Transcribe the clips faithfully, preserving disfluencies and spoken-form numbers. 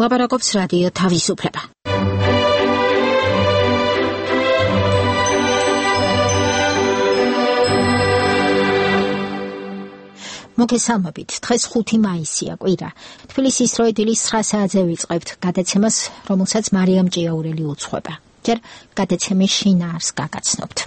ლაპარაკობს რადიო თავისუფლება. მოგესალმებით, დღეს ხუთი მაისია, კვირა. თბილისის დრო დილის ცხრა საათზე ვიწყებთ გადაცემას, რომელსაც მარიამ ჭიაურელი უძღვება. ჯერ გადაცემის შინაარს გაგაცნობთ.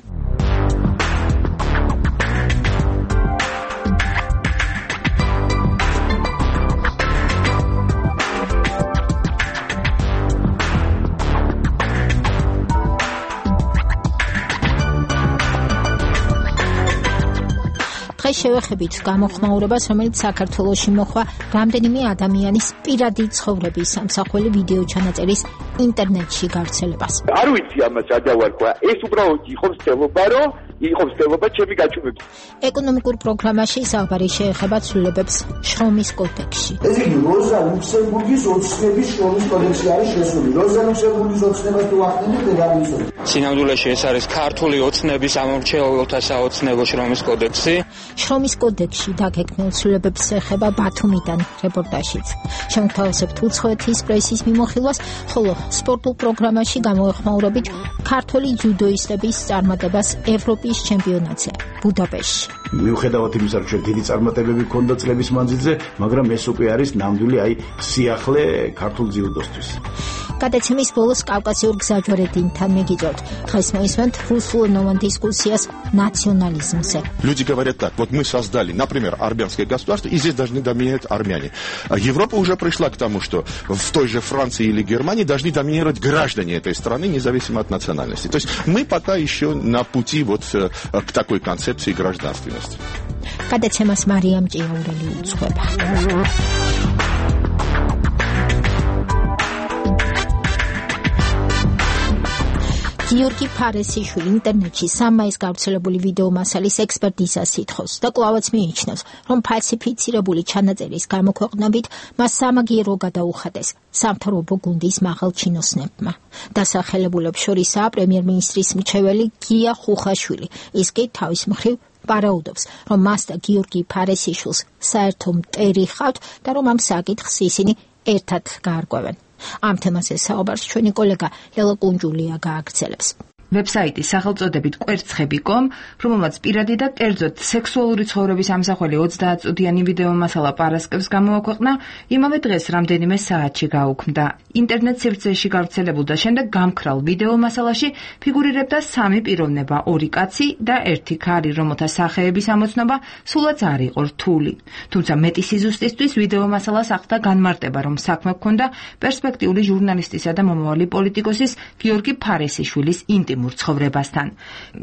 დღეს შევეხებით გამოხმაურებას, რომელიც საქართველოში მოხდა რამდენიმე ადამიანის პირადი ცხოვრების სამსახველი ვიდეო ჩანაწერის ინტერნეტში გავრცელებას. არ ვიცი ამას ადავარქვა, ეს უბრალოდ იყო მცდელობა, რომ იყო მცდელობა ჩემი გაჩუმების. ეკონომიკურ პროგრამაში საუბარი შეეხება ცვლილებებს შრომის კოდექსში. ეს იგი როზა ლუქსემბურგის ოცნების შრომის კოდექსი არის შესული. როზა ლუქსემბურგის ოცნებას თუ ახდენით, ეგ არის ისე. სინამდვილეში ეს არის ქართული ოცნების ამორჩეულთა საოცნებო შრომის კოდექსი. შრომის კოდექსში დაგეგმილ ცვლილებებს ეხება ბათუმიდან რეპორტაჟიც. შემოგთავაზებთ უცხოეთის პრესის მიმოხილვას, ხოლო სპორტულ პროგრამაში გამოეხმაურებით ქართული ჯუდოისტების წარმატებას ევროპის ჩემპიონატზე ბუდაპეშტში. მიუხედავად იმისა, რომ დიდი წარმატებები ჰქონდა წლების მანძილზე, მაგრამ ეს უკვე არის ნამდვილი აი სიახლე ქართულ ჯუდოსთვის. გადაცემის ბოლოს კავკასიურ гзаჯვარედინთან мегиძოთ. Დღეს მოისმენთ русскоязычное дискуссиას национализмზე. Люди говорят так: вот мы создали, например, армянское государство, и здесь должны доминировать армяне. Европа уже пришла к тому, что в той же Франции или Германии должны доминировать граждане этой страны, независимо от национальности. То есть мы пока еще на пути вот к такой концепции гражданственности. Გადაცემას მარიამ ჭიაურელი უძღვება. გიორგი ფარესიშვილი ინტერნეტში სამმაის გავრცელებული ვიდეო მასალის ექსპერტიზას ითხოვს და კვლავაც მიიჩნევს, რომ ფალსიფიცირებული ჩანაწერის გამოქვეყნებით მას სამაგიერო გადაუხადეს სამთავრობო გუნდის მაღალ ჩინოსნებმა. დასახელებულებს შორისაა პრემიერ-მინისტრის მრჩეველი გია ხუხაშვილი. ის კი თავის მხრივ პარაუდობს, რომ მას და გიორგი ფარესიშვილს საერთო მტერი ჰყავთ და რომ ამ საკითხს ისინი ერთად გაარკვევენ. ამ თემაზე საუბარს ჩვენი კოლეგა ლელა კუნჯულია გააგრძელებს. ვებსაიტი სახელწოდებით კვერცხები კომ, რომელმაც პირადი და კერძოდ სექსუალური ცხოვრების ამსახველი ოცდაათწუთიანი ვიდეო მასალა პარასკევს გამოაქვეყნა, იმავე დღეს რამდენიმე საათში გაუქმდა. ინტერნეტ სივრცეში გავრცელებულ და შემდეგ გამქრალ ვიდეო მასალაში ფიგურირებდა სამი პიროვნება, ორი კაცი და ერთი ქალი, რომელთა სახეების ამოცნობა სულაც არ იყო რთული. თუმცა მეტი სიზუსტისთვის ვიდეო მასალას ახლდა განმარტება, რომ საქმე ჰქონდა პერსპექტიული ჟურნალისტისა და მომავალი პოლიტიკოსის გიორგი ფარესიშვილის ინტიმ ცხოვრებასთან.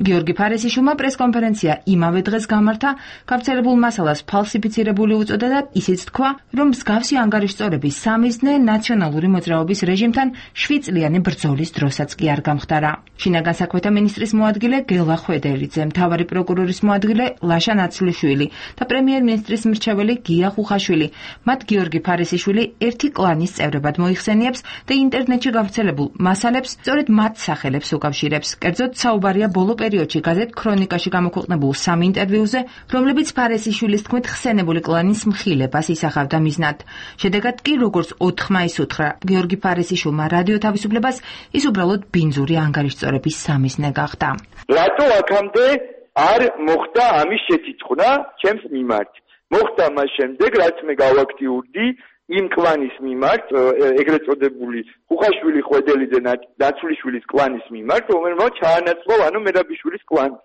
გიორგი ფარესიშვილმა პრესკონფერენცია იმავე დღეს გამართა, გავრცელებულ მასალას ფალსიფიცირებული უწოდა და ისიც თქვა, რომ მსგავსი ანგარიშწორების სამიზნე ნაციონალური მოძრაობის რეჟიმთან შვიდწლიანი ბრძოლის დროსაც კი არ გამხდარა. შინაგან საქმეთა მინისტრის მოადგილე გელა ხვედელიძე, მთავარი პროკურორის მოადგილე ლაშა ნაცვლიშვილი და პრემიერ-მინისტრის მრჩეველი გია ხუხაშვილი მათ გიორგი ფარესიშვილი ერთი კლანის წევრებად მოიხსენიებს და ინტერნეტში გავრცელებულ მასალებს სწორედ მათ სახელებს უკავშირებს. კერძოდ საუბარია ბოლო პერიოდში გაზეთ ქრონიკაში გამოქვეყნებულ სამ ინტერვიუზე, რომლებიც ფარესიშვილის თქმით ხსენებული კლანის მხილებას ისახავდა მიზნად. შედეგად კი, როგორც ოთხ მაისს უთხრა გიორგი ფარესიშვილმა რადიო თავისუფლებას, ის უბრალოდ ბინძური ანგარიშწორების სამიზნე გახდა. რატო აქამდე არ მოხდა ამის შეთითხოვნა ჩემს მიმართ? მოხდა მას შემდეგ, რაც მე გავაქტიურდი იმ კლანის მიმართ, ეგრეთ წოდებული ხუხაშვილი ხვედელიძე ნაცვლიშვილის კლანის მიმართ, რომელმაც ჩაანაცვლა ანუ მერაბიშვილის კლანი.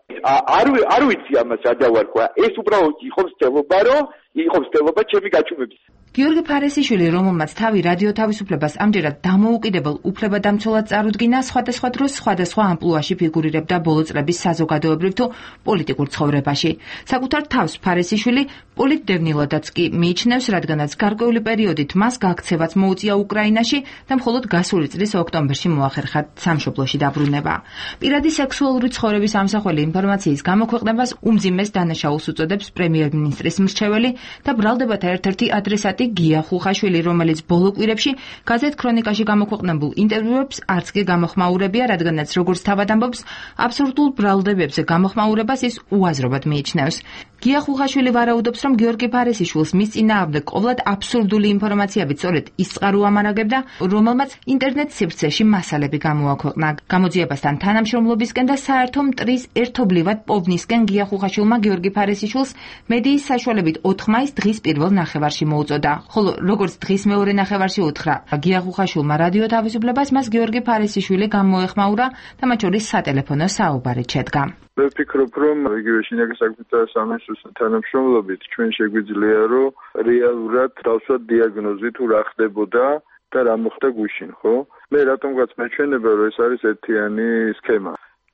არ არ ვიცი ამას ადავარქვა, ეს უბრალოდ იყო მცდელობა, რომ იყო მცდელობა ჩემი გაჩუმების. გიორგი ფარესიშვილი, რომელმაც თავი რადიო თავისუფლებას ამჯერად დამოუკიდებელ უფლებადამცველად წარუდგინა, სხვადასხვა დროს სხვადასხვა ამპლუაში ფიგურირებდა ბოლო წლების საზოგადოებრივ თუ პოლიტიკურ ცხოვრებაში. საკუთარ თავს ფარესიშვილი პოლიტდევნილადაც კი მიიჩნევს, რადგანაც გარკვეული პერიოდით მას გაქცევაც მოუწია უკრაინაში და მხოლოდ გასული წლის ოქტომბერში მოახერხა სამშობლოში დაბრუნება. პირადი სექსუალური ცხოვრების ამსახველი ინფორმაციის გამოქვეყნებას უმძიმეს დანაშაულს უწოდებს პრემიერ-მინისტრის მრჩეველი და ბრალდებათა ერთ-ერთი ადრესატი გია ხუხაშვილი, რომელიც ბოლო კვირებში გაზეთ ქრონიკაში გამოქვეყნებულ ინტერვიუებს არც კი გამოხმაურებია, რადგანაც როგორც თავად ამბობს, აბსურდულ ბრალდებებზე გამოხმაურებას ის უაზრობად მიიჩნევს. გია ხუხაშვილი ვარაუდობს, რომ გიორგი ფარესიშვილს მის წინააღმდეგ ყოვლად აბსურდული ინფორმაციებით სწორედ ის წყარო ამარაგებდა, რომელმაც ინტერნეტ სივრცეში მასალები გამოაქვეყნა. გამოძიებასთან თანამშრომლობისკენ და საერთო მტრის ერთობლივად პოვნისკენ გია ხუხაშვილმა გიორგი ფარესიშვილს მედიის საშუალებით ოთხ მაისს დღის პირველ ნახევარში მოუწოდა. ხოლო როგორც დღის მეორე ნახევარში უთხრა გია ხუხაშვილმა რადიო თავისუფლებას, მას გიორგი ფარესიშვილი გამოეხმაურა და მათ შორის სატელეფონო საუბარით შედგა. მე ვფიქრობ, რომ იგივე შინაგან საქმეთა სამინისტროს თანამშრომლობით ჩვენ შეგვიძლია, რომ რეალურად დავსვათ დიაგნოზი თუ რა ხდებოდა და რა მოხდა გუშინ, ხო? მე რატომღაც მეჩვენება, რომ ეს არის ერთიანი სქემა.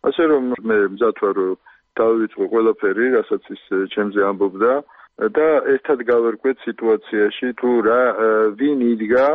ასე რომ მე მზად ვარ, რომ დავიწყო ყველაფერი, რასაც ის ჩემზე ამბობდა და ერთად გავერკვეთ სიტუაციაში თუ რა ვინ იდგა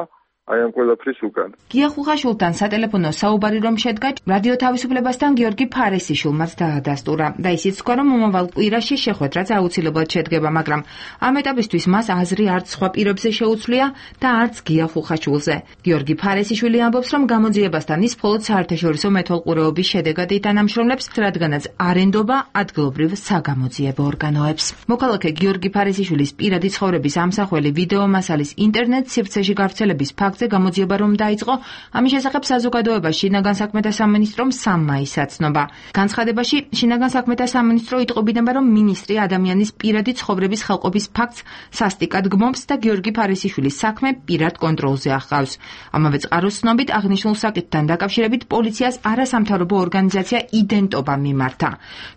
აი ამ ყველაფრის უკან. გია ხუხაშვილთან სატელეფონო საუბარი რომ შედგა, რადიო თავისუფლებასთან გიორგი ფარესიშვილმაც დაადასტურა და ისიც თქვა, რომ მომავალ კვირაში შეხვედრაც აუცილებლად შედგება, მაგრამ ამ ეტაპისთვის მას აზრი არც სხვა პირებზე შეუცვლია და არც გია ხუხაშვილზე. გიორგი ფარესიშვილი ამბობს, რომ გამოძიებასთან ის მხოლოდ საერთაშორისო მეთვალყურეობის შედეგად ითანამშრომლებს, რადგანაც არ ენდობა ადგილობრივ საგამოძიებო ორგანოებს. მოქალაქე გიორგი ფარესიშვილის პირადი ცხოვრების ამსახველი ვიდეო მასალის ინტერნეტ სივრცეში გავრცელების ფაქტ გამოძიება რომ დაიწყო, ამის შესახებ საზოგადოება შინაგან საქმეთა სამინისტრომ სამ მაისს აცნობა. განცხადებაში შინაგან საქმეთა სამინისტრო იტყობინება, რომ მინისტრი ადამიანის პირადი ცხოვრების ხელყოფის ფაქტს სასტიკად გმობს და გიორგი ფარესიშვილის საქმე პირად კონტროლზე ახავს. ამავე წყაროს ცნობით აღნიშნულ საკითხთან დაკავშირებით პოლიციას არასამთავრობო ორგანიზაცია იდენტობა მიმართა.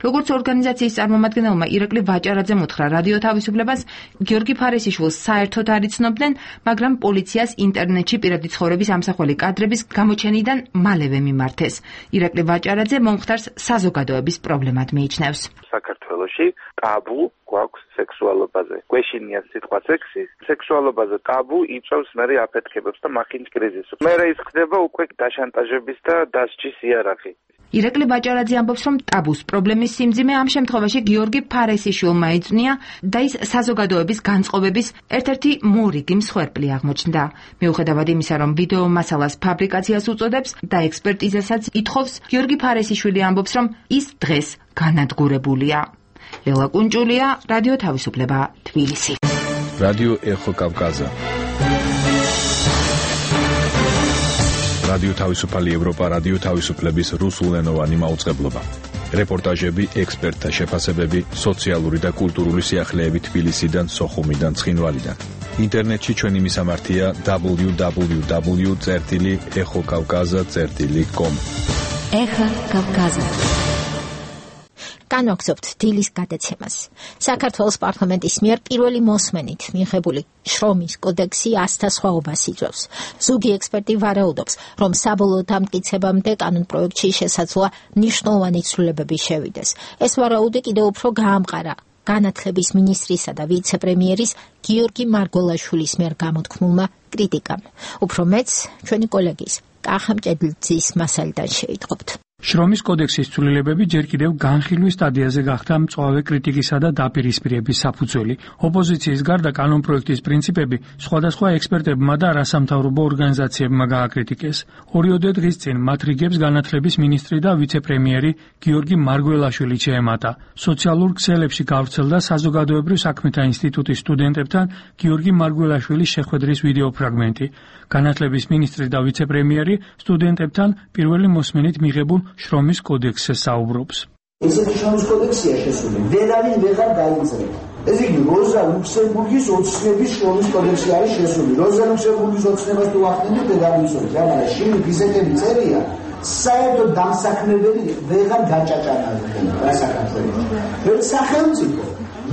როგორც ორგანიზაციის წარმომადგენელმა ირაკლი ვაჭარაძემ უთხრა რადიო თავისუფლებას, გიორგი ფარესიშვილს საერთოდ არ იცნობდნენ, მაგრამ პოლიციას ინტერნეტ პირადი ცხოვრების ამსახველი კადრების გამოჩენიდან მალევე მიმართეს. ირაკლი ვაჭარაძე მომხდარს საზოგადოების პრობლემად მიიჩნევს. საქართველოში ტაბუ გვაქვს სექსუალობაზე. გვეშინია სიტყვა სექსი, სექსუალობაზე ტაბუ იწევს მერე აფეთქებებს და მახინჯ კრიზისს. მერე ის ხდება უკვე დაშანტაჟების და დასჯის იარაღი. ირაკლი ვაჭარაძე ამბობს, რომ ტაბუს პრობლემის სიმძიმე ამ შემთხვევაში გიორგი ფარესიშვილმა ეძნია და ის საზოგადოების განწყობების ერთ-ერთი მორიგი მსხვერპლი აღმოჩნდა. მიუხედავად იმისა, რომ ვიდეო მასალას ფაბრიკაციას უწოდებს და ექსპერტიზასაც ითხოვს, გიორგი ფარესიშვილი ამბობს, რომ ის დღეს განადგურებულია. ლელა კუნჭულია, რადიო თავისუფლება, თბილისი. რადიო ეხო კავკაზა. რადიო თავისუფალი ევროპა, რადიო თავისუფლების რუსულენოვანი მაუწყებლობა. რეპორტაჟები, ექსპერტთა შეფასებები, სოციალური და კულტურული სიახლეები თბილისიდან, სოხუმიდან, ცხინვალიდან. ინტერნეტში ჩვენი მისამართია დაბლიუ დაბლიუ დაბლიუ წერტილი ეხო კავკაზა წერტილი კომ. ეხა კავკაზა. განვაგრძობთ დილის გადაცემას. საქართველოს პარლამენტის მიერ პირველი მოსმენით მიღებული შრომის კოდექსი ათასთა სხვაობას იძლევის. ზოგი ექსპერტი ვარაუდობს, რომ საბოლოო დამტკიცებამდე კანონპროექტში შესაძლოა მნიშვნელოვანი ცვლილებები შევიდეს. ეს ვარაუდი კიდევ უფრო გაამყარა განათლების მინისტრისა და ვიცე-პრემიერის გიორგი მარგველაშვილის მიერ გამოთქმულმა კრიტიკამ. უფრო მეც ჩვენი კოლეგის კახა მჭედლიძის მასალიდან შეიტყობთ. შრომის კოდექსის ცვლილებები ჯერ კიდევ განხილვის სტადიაზე გახდა მწვავე კრიტიკისა და დაპირისპირების საფუძველი. ოპოზიციის გარდა კანონპროექტის პრინციპები სხვადასხვა ექსპერტებმა და არასამთავრობო ორგანიზაციებმა გააკრიტიკეს. ორიოდე დღის წინ მათ რიგებს განათლების მინისტრი და ვიცე-პრემიერი გიორგი მარგველაშვილი შეემატა. სოციალურ ქსელებში გავრცელდა საზოგადოებრივ საქმეთა ინსტიტუტის სტუდენტებთან გიორგი მარგველაშვილის შეხვედრის ვიდეო ფრაგმენტი. განათლების მინისტრი და ვიცე-პრემიერი სტუდენტებთან პირველი მოსმენით მიღებულ შრომის კოდექსზე საუბრობს. ესეთი შრომის კოდექსია შესული. ვერავინ ვეღარ დაიწყება. ეს იგი როზა ლუქსემბურგის ოცნების შრომის კოდექსი არის შესული. როზა ლუქსემბურგის ოცნებას თუ ახდენთ დედავისორი, მაგრამ შენი ფიზიკები წერია, საერთოდ დამსაქმებელი ვეღარ გაჭაჭანალდება რა საქართველოს. ვერც სახელმწიფო,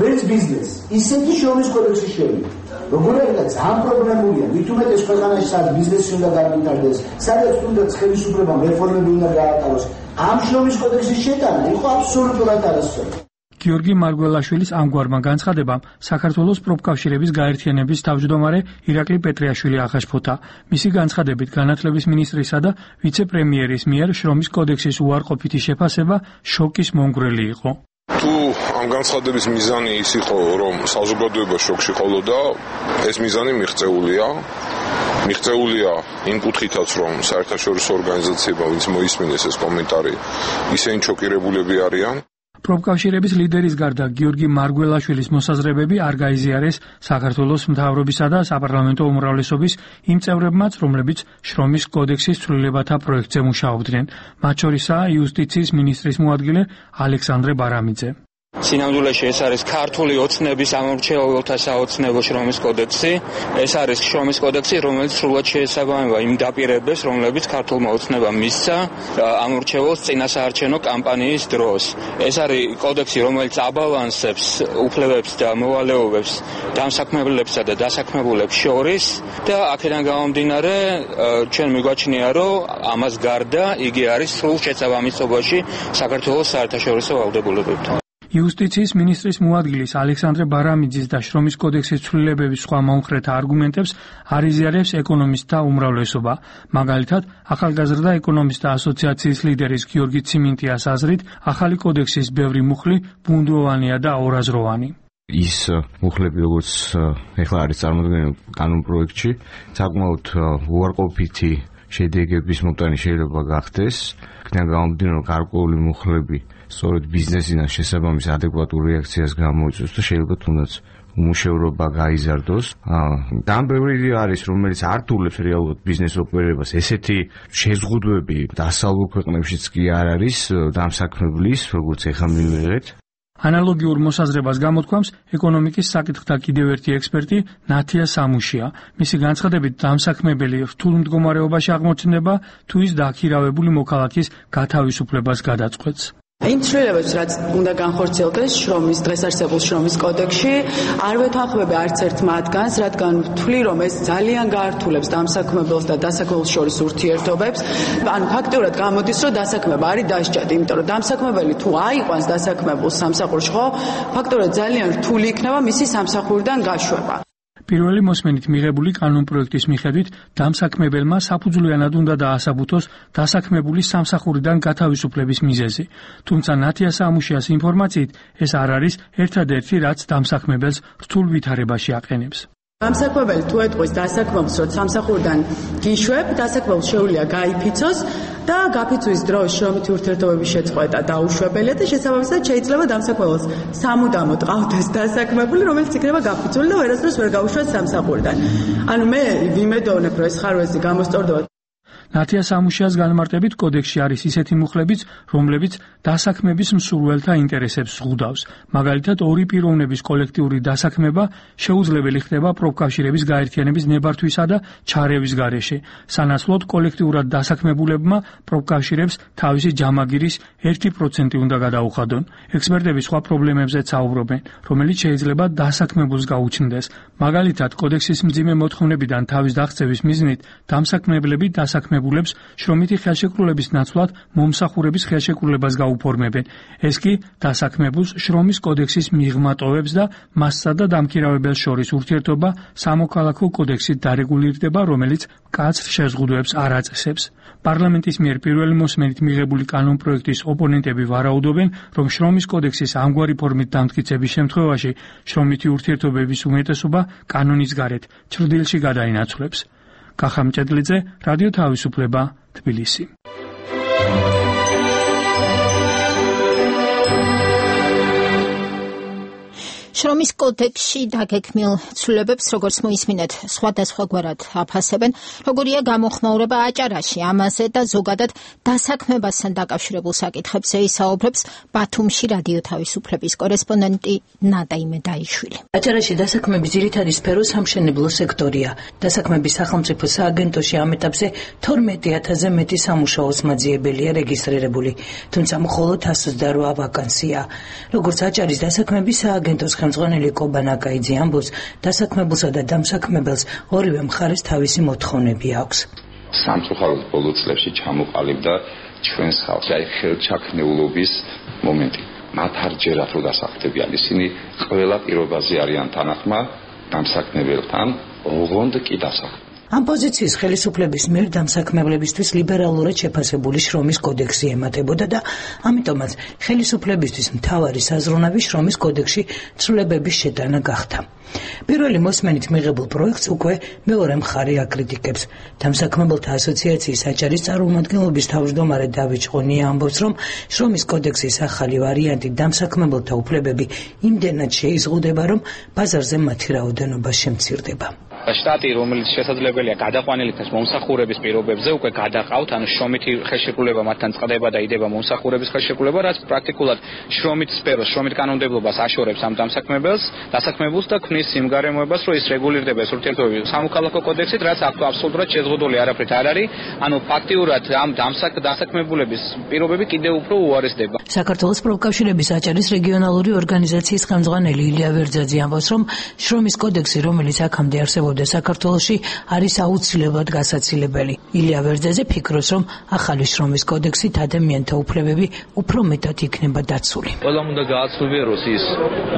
ვერც ბიზნესი. ისეთი შრომის კოდექსი შევიდა. როგორია ძალიან პრობლემულია. მithumetes ქვეყანაში სად ბიზნესი უნდა განვითარდეს, სადაც თუნდაც ხელისუფლება რეფორმები უნდა გაატაროს. ამ შრომის კოდექსის შეტანა იყო აბსოლუტურად არასწორი. გიორგი მარგველაშვილის ამგვარმა განცხადებამ საქართველოს პროფკავშირების გაერთიანების თავმჯდომარე ირაკლი პეტრიაშვილი აღაშფოთა. მისი განცხადებით განათლების მინისტრისა და ვიცე-პრემიერის მიერ შრომის კოდექსის უარყოფითი შეფასება შოკის მომგვრელი იყო. თუ ამ განცხადების მიზანი ის იყო, რომ საზოგადოება შოკში ყოლოდა, ეს მიზანი მიღწეულია. მიღწეულია იმ კუთხითაც, რომ საერთაშორისო ორგანიზაციებმა, ვინც მოისმინეს ეს კომენტარი, ისინი შოკირებულები არიან. პროფკავშირების ლიდერის გარდა გიორგი მარგველაშვილის მოსაზრებები არ გაიზიარეს საქართველოს მთავრობისა და საპარლამენტო უმრავლესობის იმ წევრებმაც, რომლებიც შრომის კოდექსის ცვლილებათა პროექტზე მუშაობდნენ. მათ შორისაა იუსტიციის მინისტრის მოადგილე ალექსანდრე ბარამიძე. სინამდვილეში ეს არის ქართული ოცნების ამორჩეულთა საოცნებო შრომის კოდექსი. ეს არის შრომის კოდექსი, რომელიც სრულად შეესაბამება იმ დაპირებებს, რომლებიც ქართულმა ოცნებამ მისცა ამორჩეულს წინასაარჩევნო კამპანიის დროს. ეს არის კოდექსი, რომელიც აბალანსებს უფლებებს და მოვალეობებს დამსაქმებლებსა და დასაქმებულებს შორის და აქედან გამომდინარე ჩვენ მიგვაჩნია, რომ ამას გარდა იგი არის სრულ შესაბამისობაში საქართველოს საერთაშორისო ვალდებულებებთან. იუსტიციის მინისტრის მოადგილის ალექსანდრე ბარამიძის და შრომის კოდექსის ცვლილებების სხვა მომხრეთა არგუმენტებს არ იზიარებს ეკონომისტთა უმრავლესობა. მაგალითად, ახალგაზრდა ეკონომისტთა ასოციაციის ლიდერის გიორგი ციმინტიას აზრით, ახალი კოდექსის ბევრი მუხლი ბუნდოვანია და ორაზროვანი. ის მუხლები, როგორც ეხლა არის წარმოდგენილი კანონპროექტში, საკმაოდ უარყოფითი შედეგების მომტანი შეიძლება გახდეს. იქიდან გამომდინარე, რომ გარკვეული მუხლები სწორედ ბიზნესიდან შესაბამის ადეკვატურ რეაქციას გამოიწვევს და შეიძლება თუნდაც უმუშევრობა გაიზარდოს. და ბევრი არის, რომელიც ართულებს რეალურად ბიზნეს ოპერებას. ესეთი შეზღუდვები დასავლურ ქვეყნებშიც კი არ არის დამსაქმებლის, როგორც ეხლა მივიღეთ. ანალოგიურ მოსაზრებას გამოთქვამს ეკონომიკის საკითხთა კიდევ ერთი ექსპერტი ნათია სამუშია. მისი განცხადებით, დამსაქმებელი რთულ მდგომარეობაში აღმოჩნდება, თუ ის დააქირავებული მოქალაქის გათავისუფლებას გადაწყვეტს. იმ ცვლილებებს, რაც უნდა განხორციელდეს შრომის დღეს არსებულ შრომის კოდექსში, არ ვეთანხმები არც ერთ მათგანს, რადგან ვთვლი, რომ ეს ძალიან გაართულებს დამსაქმებელს და დასაქმებელს შორის ურთიერთობებს. ანუ ფაქტიურად გამოდის, რომ დასაქმება არის დასჯადი, იმიტომ რომ დამსაქმებელი თუ აიყვანს დასაქმებულს სამსახურში, ხო, ფაქტიურად ძალიან რთული იქნება მისი სამსახურიდან გაშვება. პირველი მოსმენით მიღებული კანონპროექტის მიხედვით დამსაქმებელმა საფუძვლიანად უნდა დაასაბუთოს დასაქმებულის სამსახურიდან გათავისუფლების მიზეზი. თუმცა ნათია სამუშიას ინფორმაციით ეს არ არის ერთადერთი, რაც დამსაქმებელს რთულ ვითარებაში აყენებს. დამსაქმებელი თუ ეტყვის დასაქმებულს, რომ სამსახურიდან გიშვებ, დასაქმებელს შეუძლია გაიფიცოს და გაფიცვის დროს შრომითი ურთიერთობების შეწყვეტა დაუშვებელია და შესაბამისად შეიძლება დამსაქმებელს სამუდამოდ ყავდეს დასაქმებული, რომელიც იქნება გაფიცული და ვერასდროს ვერ გაუშვას სამსახურიდან. ანუ მე ვიმედოვნებ, რომ ეს ხარვეზი გამოსწორდება. ნათია სამუშიას განმარტებით კოდექსში არის ისეთი მუხლებიც, რომლებიც დასაქმების მსურველთა ინტერესებს ზღუდავს. მაგალითად, ორი პიროვნების კოლექტიური დასაქმება შეუძლებელი ხდება პროფკავშირების გაერთიანების ნებართვისა და ჩარევის გარეშე. სანაცვლოდ კოლექტიურად დასაქმებულებმა პროფკავშირებს თავისი ჯამაგირის ერთი პროცენტი უნდა გადაუხადონ. ექსპერტები სხვა პრობლემებზეც საუბრობენ, რომელიც შეიძლება დასაქმებულს გაუჩნდეს. მაგალითად, კოდექსის მძიმე მოთხოვნებიდან თავის დაღწევის მიზნით დამსაქმებლები დასაქმებულებს შრომითი ხელშეკრულების ნაცვლად მომსახურების ხელშეკრულებას გაუფორმებენ. ეს კი დასაქმებულს შრომის კოდექსის მიღმატოვებს და მასსა და დამქირავებელს შორის ურთიერთობა სამოქალაქო კოდექსით დარეგულირდება, რომელიც მკაცრ შეზღუდვებს არ აწესებს. პარლამენტის მიერ პირველი მოსმენით მიღებული კანონპროექტის ოპონენტები ვარაუდობენ, რომ შრომის კოდექსის ამგვარი ფორმით დამტკიცების შემთხვევაში შრომითი ურთიერთობების უმეტესობა კანონის გარეთ ჩრდილში გადაინაცვლებს. კახა მჭედლიძე, რადიო თავისუფლება, თბილისი. შრომის კოდექსში დაგეგმილ ცვლილებებს, როგორც მოისმინეთ, სხვადასხვაგვარად აფასებენ, როგორია გამოხმაურება აჭარაში, ამაზე და ზოგადად დასაქმებასთან დაკავშირებულ საკითხებზე ისაუბრებს ბათუმში რადიო თავისუფლების კორესპონდენტი ნადა იმედაიშვილი. აჭარაში დასაქმების ძირითადი სფერო სამშენებლო სექტორია. დასაქმების სახელმწიფო სააგენტოში ამ ეტაპზე თორმეტი ათასზე მეტი სამუშაოს მაძიებელია რეგისტრირებული, თუმცა მხოლოდ ათას ოცდაორი ვაკანსია. როგორც აჭარის დასაქმების სააგენტოს ხელმძღვანელი კობა ნაკაიძე ამბობს, დასაქმებულსა და დამსაქმებელს ორივე მხარეს თავისი მოთხოვნები აქვს. სამწუხაროდ ბოლო წლებში ჩამოყალიბდა ჩვენს ხალხში აი ხელჩაქნეულობის მომენტი. მათ არ ჯერათ რომ დასაქმდებიან, ისინი ყველა პირობაზე არიან თანახმა დამსაქმებელთან, ოღონდ კი დასაქმებელთან. ამ პოზიციის ხელისუფლების მიერ დამსაქმებლებისთვის ლიბერალურად შეფასებული შრომის კოდექსი ემატებოდა და ამიტომაც ხელისუფლებისთვის მთავარი საზრუნავი შრომის კოდექსში ცვლილებების შეტანა გახდა. პირველი მოსმენით მიღებულ პროექტს უკვე მეორე მხარე აკრიტიკებს. დამსაქმებელთა ასოციაციის აჭარის წარმომადგენლობის თავმჯდომარე დავით ჭყონია ამბობს, რომ შრომის კოდექსის ახალი ვარიანტი დამსაქმებელთა უფლებები იმდენად შეიზღუდება, რომ ბაზარზე მათი რაოდენობა შემცირდება. შტატი, რომელიც შესაძლებელია გადაყვანილითაც მომსახურების პირობებზე უკვე გადაყავთ, ანუ შრომითი ხელშეკრულება მათთან წყდება და იდება მომსახურების ხელშეკრულება, რაც პრაქტიკულად შრომით სფეროს, შრომით კანონმდებლობას აშორებს ამ დამსაქმებელს, დასაქმებულს და ქმნის იმ გარემოებას, რომ ის რეგულირდება ეს ურთიერთობები სამოქალაქო კოდექსით, რაც აბსოლუტურად შეზღუდული არაფრით არ არის, ანუ ფაქტიურად ამ დასაქმებულების პირობები კიდევ უფრო უარესდება. საქართველოს პროფკავშირების აჭარის რეგიონალური ორგანიზაციის ხელმძღვანელი ილია ვერძაძე ამბობს, რომ შრომის კოდექსი, რომელიც აქამდე არსებობდა საქართველოში, არის აუცილებლად გასაცილებელი. ილია ვერძაძე ფიქრობს, რომ ახალი შრომის კოდექსით ადამიანთა უფლებები უფრო მეტად იქნება დაცული. ყველამ უნდა გააცნობიეროს ის,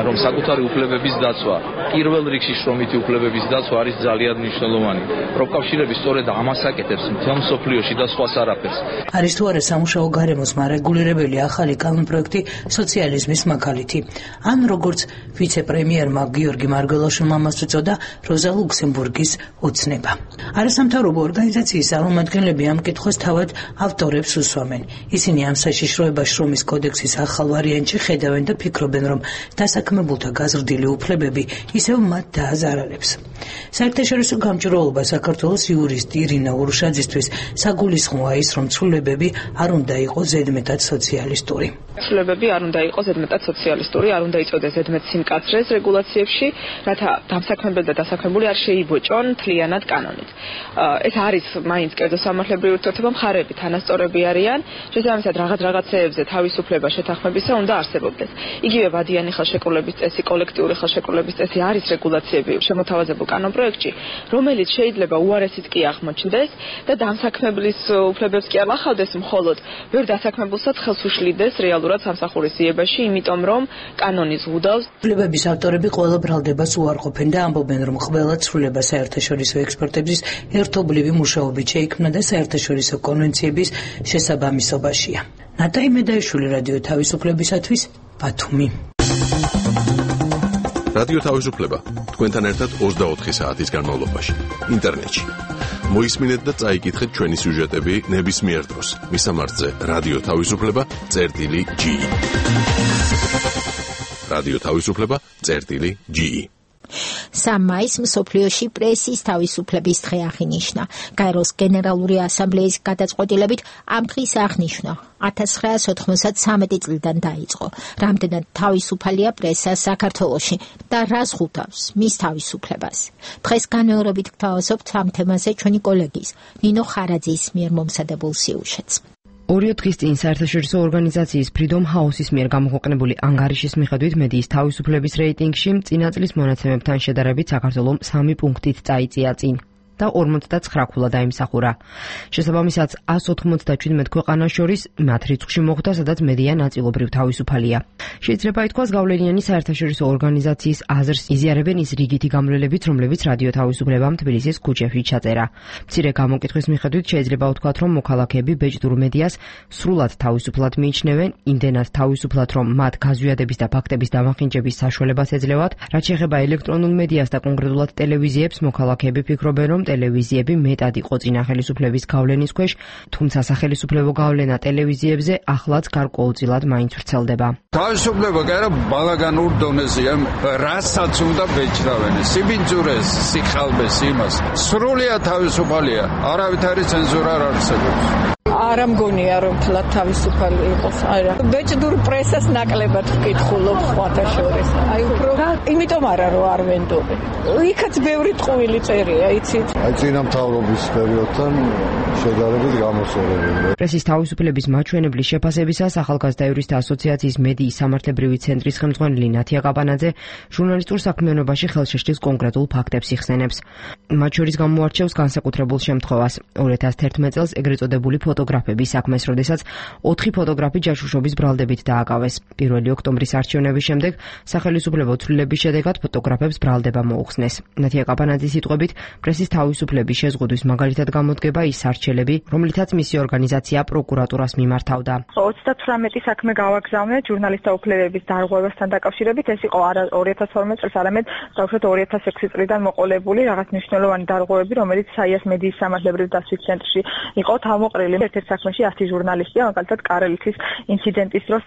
რომ საკუთარი უფლებების დაცვა, პირველ რიგში შრომითი უფლებების დაცვა არის ძალიან მნიშვნელოვანი. პროფკავშირები სწორედ ამას აკეთებს მთელ მსოფლიოში და სხვას არაფერს. არის თუ არა სამუშაო გარემოს მარეგულირებელი ახალი კანონპროექტი სოციალიზმის მაგალითი. ან როგორც ვიცე-პრემიერმა გიორგი მარგველაშვილმა ამას უწოდა როზა ლუქსემბურგის ოცნება. არასამთავრობო ორგანიზაციის წარმომადგენლები ამ კითხვას თავად ავტორებს უსვამენ. ისინი ამ საშიშროება შრომის კოდექსის ახალ ვარიანტში ხედავენ და ფიქრობენ, რომ დასაქმებულთა გაზრდილი უფლებები ისევ მათ დააზარალებს. საერთაშორისო გამჭვირვალობა საქართველოს იურისტი ირინა ურუშაძისთვის საგულისხმოა ის, რომ ცვლილებები არ უნდა იყოს ზედმეტად სოციალისტური. ცვლილებები არ უნდა იყოს ზედმეტად სოციალისტური, არ უნდა იწოდოს ზედმეტ სიმკაცრეს რეგულაციებში, რათა დამსაქმებელი და დასაქმებული არ შეიბოჭონ მთლიანად კანონით. ეს არის მაინც კერძო სამართლებრივი ურთიერთობა, მხარეები თანასწორები არიან, შესაბამისად რაღაც რაღაცეებზე თავისუფლება შეთანხმებისა უნდა არსებობდეს. იგივე ბადიანი ხელშეკრულების წესი, კოლექტიური ხელშეკრულების წესი არის რეგულაციები შემოთავაზებულ კანონპროექტში, რომელიც შეიძლება უარესიც კი აღმოჩნდეს და დამსაქმებლის უფლებებს კი არ ახავდეს, მხოლოდ ბევრ დასაქმებულსაც ხელს უშლიდეს რეალურად სამსახურის იებაში, იმიტომ რომ კანონი ზღუდავს. უფლებების ავტორები ყველა ბრალდებას უარყოფენ და ამბობენ, რომ ყველა ცვლილება საერთაშორისო ექსპერტების ერთობლივი მუშაობით შეიქმნა და საერთაშორისო კონვენციების შესაბამისობაშია. ნატალი მედაიშვილი, რადიო თავისუფლებისათვის, ბათუმი. რადიო თავისუფლება თქვენთან ერთად ოცდაოთხი საათის განმავლობაში ინტერნეტში. მოისმინეთ და წაიკითხეთ ჩვენი სიუჟეტები ნებისმიერ დროს. მისამართზე რადიო თავისუფლება წერტილი ჯი. რადიო თავისუფლება წერტილი ჯი. სამ მაისს მსოფლიოში პრესის თავისუფლების დღე აღინიშნა. გაეროს გენერალური ასამბლეის გადაწყვეტილებით ამ დღის აღნიშვნა ათას ცხრაას ოთხმოცდასამი წლიდან დაიწყო. რამდენად თავისუფალია პრესა საქართველოში და რა ზღუდავს მის თავისუფლებას. დღეს განმეორებით გთავაზობთ ამ თემაზე ჩვენი კოლეგის ნინო ხარაძის მიერ მომზადებულ სიუჟეტს. ორი დღის წინ საერთაშორისო ორგანიზაციის Freedom House-ის მიერ გამოქვეყნებული ანგარიშის მიხედვით მედიის თავისუფლების რეიტინგში წინა წლის მონაცემებთან შედარებით საქართველოს სამი პუნქტით წაიწია წინ და ორმოცდაცხრა ქულა დაიმსახურა. შესაბამისად, ას ოთხმოცდაჩვიდმეტ ქვეყანას შორის მათ რიცხვში მოხვდა, სადაც მედია ნაწილობრივ თავისუფალია. შეიძლება ითქვას, გავლენიანი საერთაშორისო ორგანიზაციის აზრს იზიარებენ ის რიგითი გამვლელებით, რომლებიც რადიო თავისუფლებამ თბილისის ქუჩებში ჩაწერა. მცირე გამოკითხვის მიხედვით შეიძლება ვთქვათ, რომ მოქალაქეები ბეჭდურ მედიას სრულად თავისუფლად მიიჩნევენ, იმდენად თავისუფლად, რომ მათ გაზვიადების და ფაქტების დამახინჯების საშუალებას ეძლევათ. რაც შეეხება ელექტრონულ მედიას და კონკრეტულად ტელევიზიებს, მოქალაქეები ფიქრობენ, რომ ტელევიზიები მეტად იყო წინა ხელისუფლების გავლენის ქვეშ, თუმცა სახელისუფლებო გავლენა ტელევიზიებზე ახლაც გარკვეულწილად მაინც ვრცელდება. თავისუფლება კი არა ბალაგანურ დონეზეა, რასაც უნდა ბეჭდავენ, სიბინძურეს, სიხალბეს, იმას. სრულიად თავისუფალია, არავითარი ცენზურა არ არსებობს. არ ამგონია რომ თლად თავისუფალი იყოს. არა. ბეჭდურ პრესას ნაკლებად ვკითხულობ სხვათა შორის. აი უფრო იმიტომ არა რომ არ ვენდობენ. იქაც ბევრი ტყუილი წერია, იცით? აი წინამთავრობის პერიოდთან შედარებით გამოსწორებული. პრესის თავისუფლების მაჩვენებლის შეფასებისას ახალგაზრდა იურისტთა ასოციაციის მედიის სამართლებრივი ცენტრის ხელმძღვანელი ნათია კაპანაძე ჟურნალისტურ საქმიანობაში ხელშეშლის კონკრეტულ ფაქტებს იხსენებს. მათ შორის გამოარჩევს განსაკუთრებულ შემთხვევას. ორი ათას თერთმეტ წელს ეგრეთ წოდებული ფოტო ფოტოგრაფების საქმეს, როდესაც ოთხი ფოტოგრაფი ჯაშუშობის ბრალდებით დააკავეს. პირველი ოქტომბრის არჩევნების შემდეგ სახელმწიფო ცვლილების შედეგად ფოტოგრაფებს ბრალდება მოუხსნეს. ნათია კაპანაძის სიტყვებით, პრესის თავისუფლების შეზღუდვის მაგალითად გამოდგება ის არჩელები, რომლითაც მისი ორგანიზაცია პროკურატურას მიმართავდა. ოცდათვრამეტი საქმე გავაგზავნეთ ჟურნალისტთა უფლებების დარღვევასთან დაკავშირებით. ეს იყო არა ორი ათას თორმეტ წელს, არამედ დავუშვათ ორი ათას ექვსი წლიდან მოყოლებული რაღაც მნიშვნელოვანი დარღვევები, რომელიც საიას მედიის სამართლებრივი დასვის ცენტრში იყო თავმოყრილი. ერთ-ერთ საქმეში ათი ჟურნალისტია, მაგალითად კარელეთის ინციდენტის დროს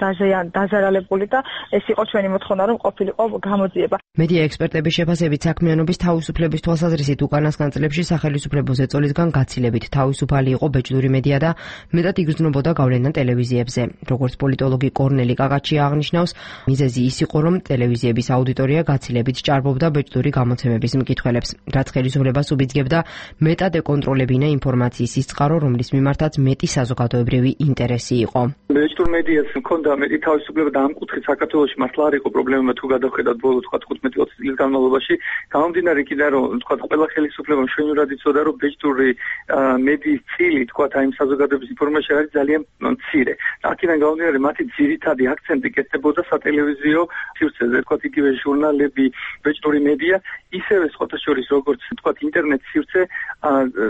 დაზარალებული და ეს იყო ჩვენი მოთხოვნა, რომ ყოფილიყო გამოძიება. მედია ექსპერტების შეფასებით საქმიანობის თავისუფლების თვალსაზრისით უკანასკნელ წლებში სახელმწიფო ზეწოლისგან გაცილებით თავისუფალი იყო ბეჭდური მედია და მეტად იგრძნობოდა გავლენა ტელევიზიებზე. როგორც პოლიტოლოგი კორნელი კაკაჩია აღნიშნავს, მიზეზი ის იყო, რომ ტელევიზიების აუდიტორია გაცილებით ჭარბობდა ბეჭდური გამოცემების მკითხველებს, რაც ხელისუფლებას უბიძგებდა მეტად ეკონტროლებინა ინფორმაციის სიწყარო, რომლის მიმართაც მეტი საზოგადოებრივი ინტერესი იყო. ბეჭდურ მედიას ჰქონდა მეტი თავისუფლება და ამ კუთხით საქართველოში მართლა არ იყო პრობლემა თუ გადავხედავთ ბოლო თხუთმეტი ოცი წლის განმავლობაში. გამომდინარე იქიდან, რომ თქვა ყველა ხელისუფლებამ შვენივრად იცოდა, რომ ბეჭდური მედიის წილი თქვა აი იმ საზოგადოების ინფორმაცია არის ძალიან მცირე. აქედან გამომდინარე, მათი ძირითადი აქცენტი კეთდებოდა სატელევიზიო სივრცეზე, თქვა იგივე ჟურნალები, ბეჭდური მედია, ისევე სხვათა შორის როგორც თქვა ინტერნეტ სივრცე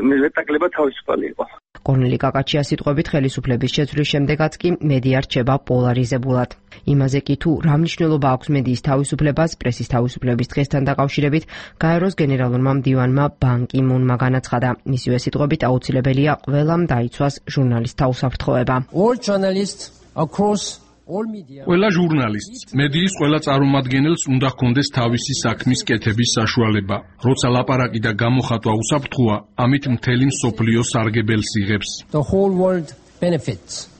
მეტაკლება თავისუფალი იყო. კორნელი კაკაჩიას სიტყვებით, ხელისუფლების შეცვლის შემდეგაც კი მედია რჩება პოლარიზებულად. იმაზე კი თუ რა მნიშვნელობა აქვს მედიის თავისუფლებას პრესის თავისუფლების დღესთან დაკავშირებით, გაეროს გენერალურმა მდივანმა ბან კი მუნმა განაცხადა. მისივე სიტყვებით, აუცილებელია ყველამ დაიცვას ჟურნალისტთა უსაფრთხოება. All journalists across ყველა ჟურნალისტს, მედიის ყველა წარმომადგენელს უნდა ჰქონდეს თავისი საქმის კეთების საშუალება. როცა ლაპარაკი და გამოხატვა უსაფრთხოა, ამით მთელი მსოფლიო სარგებელს იღებს. The whole world benefits.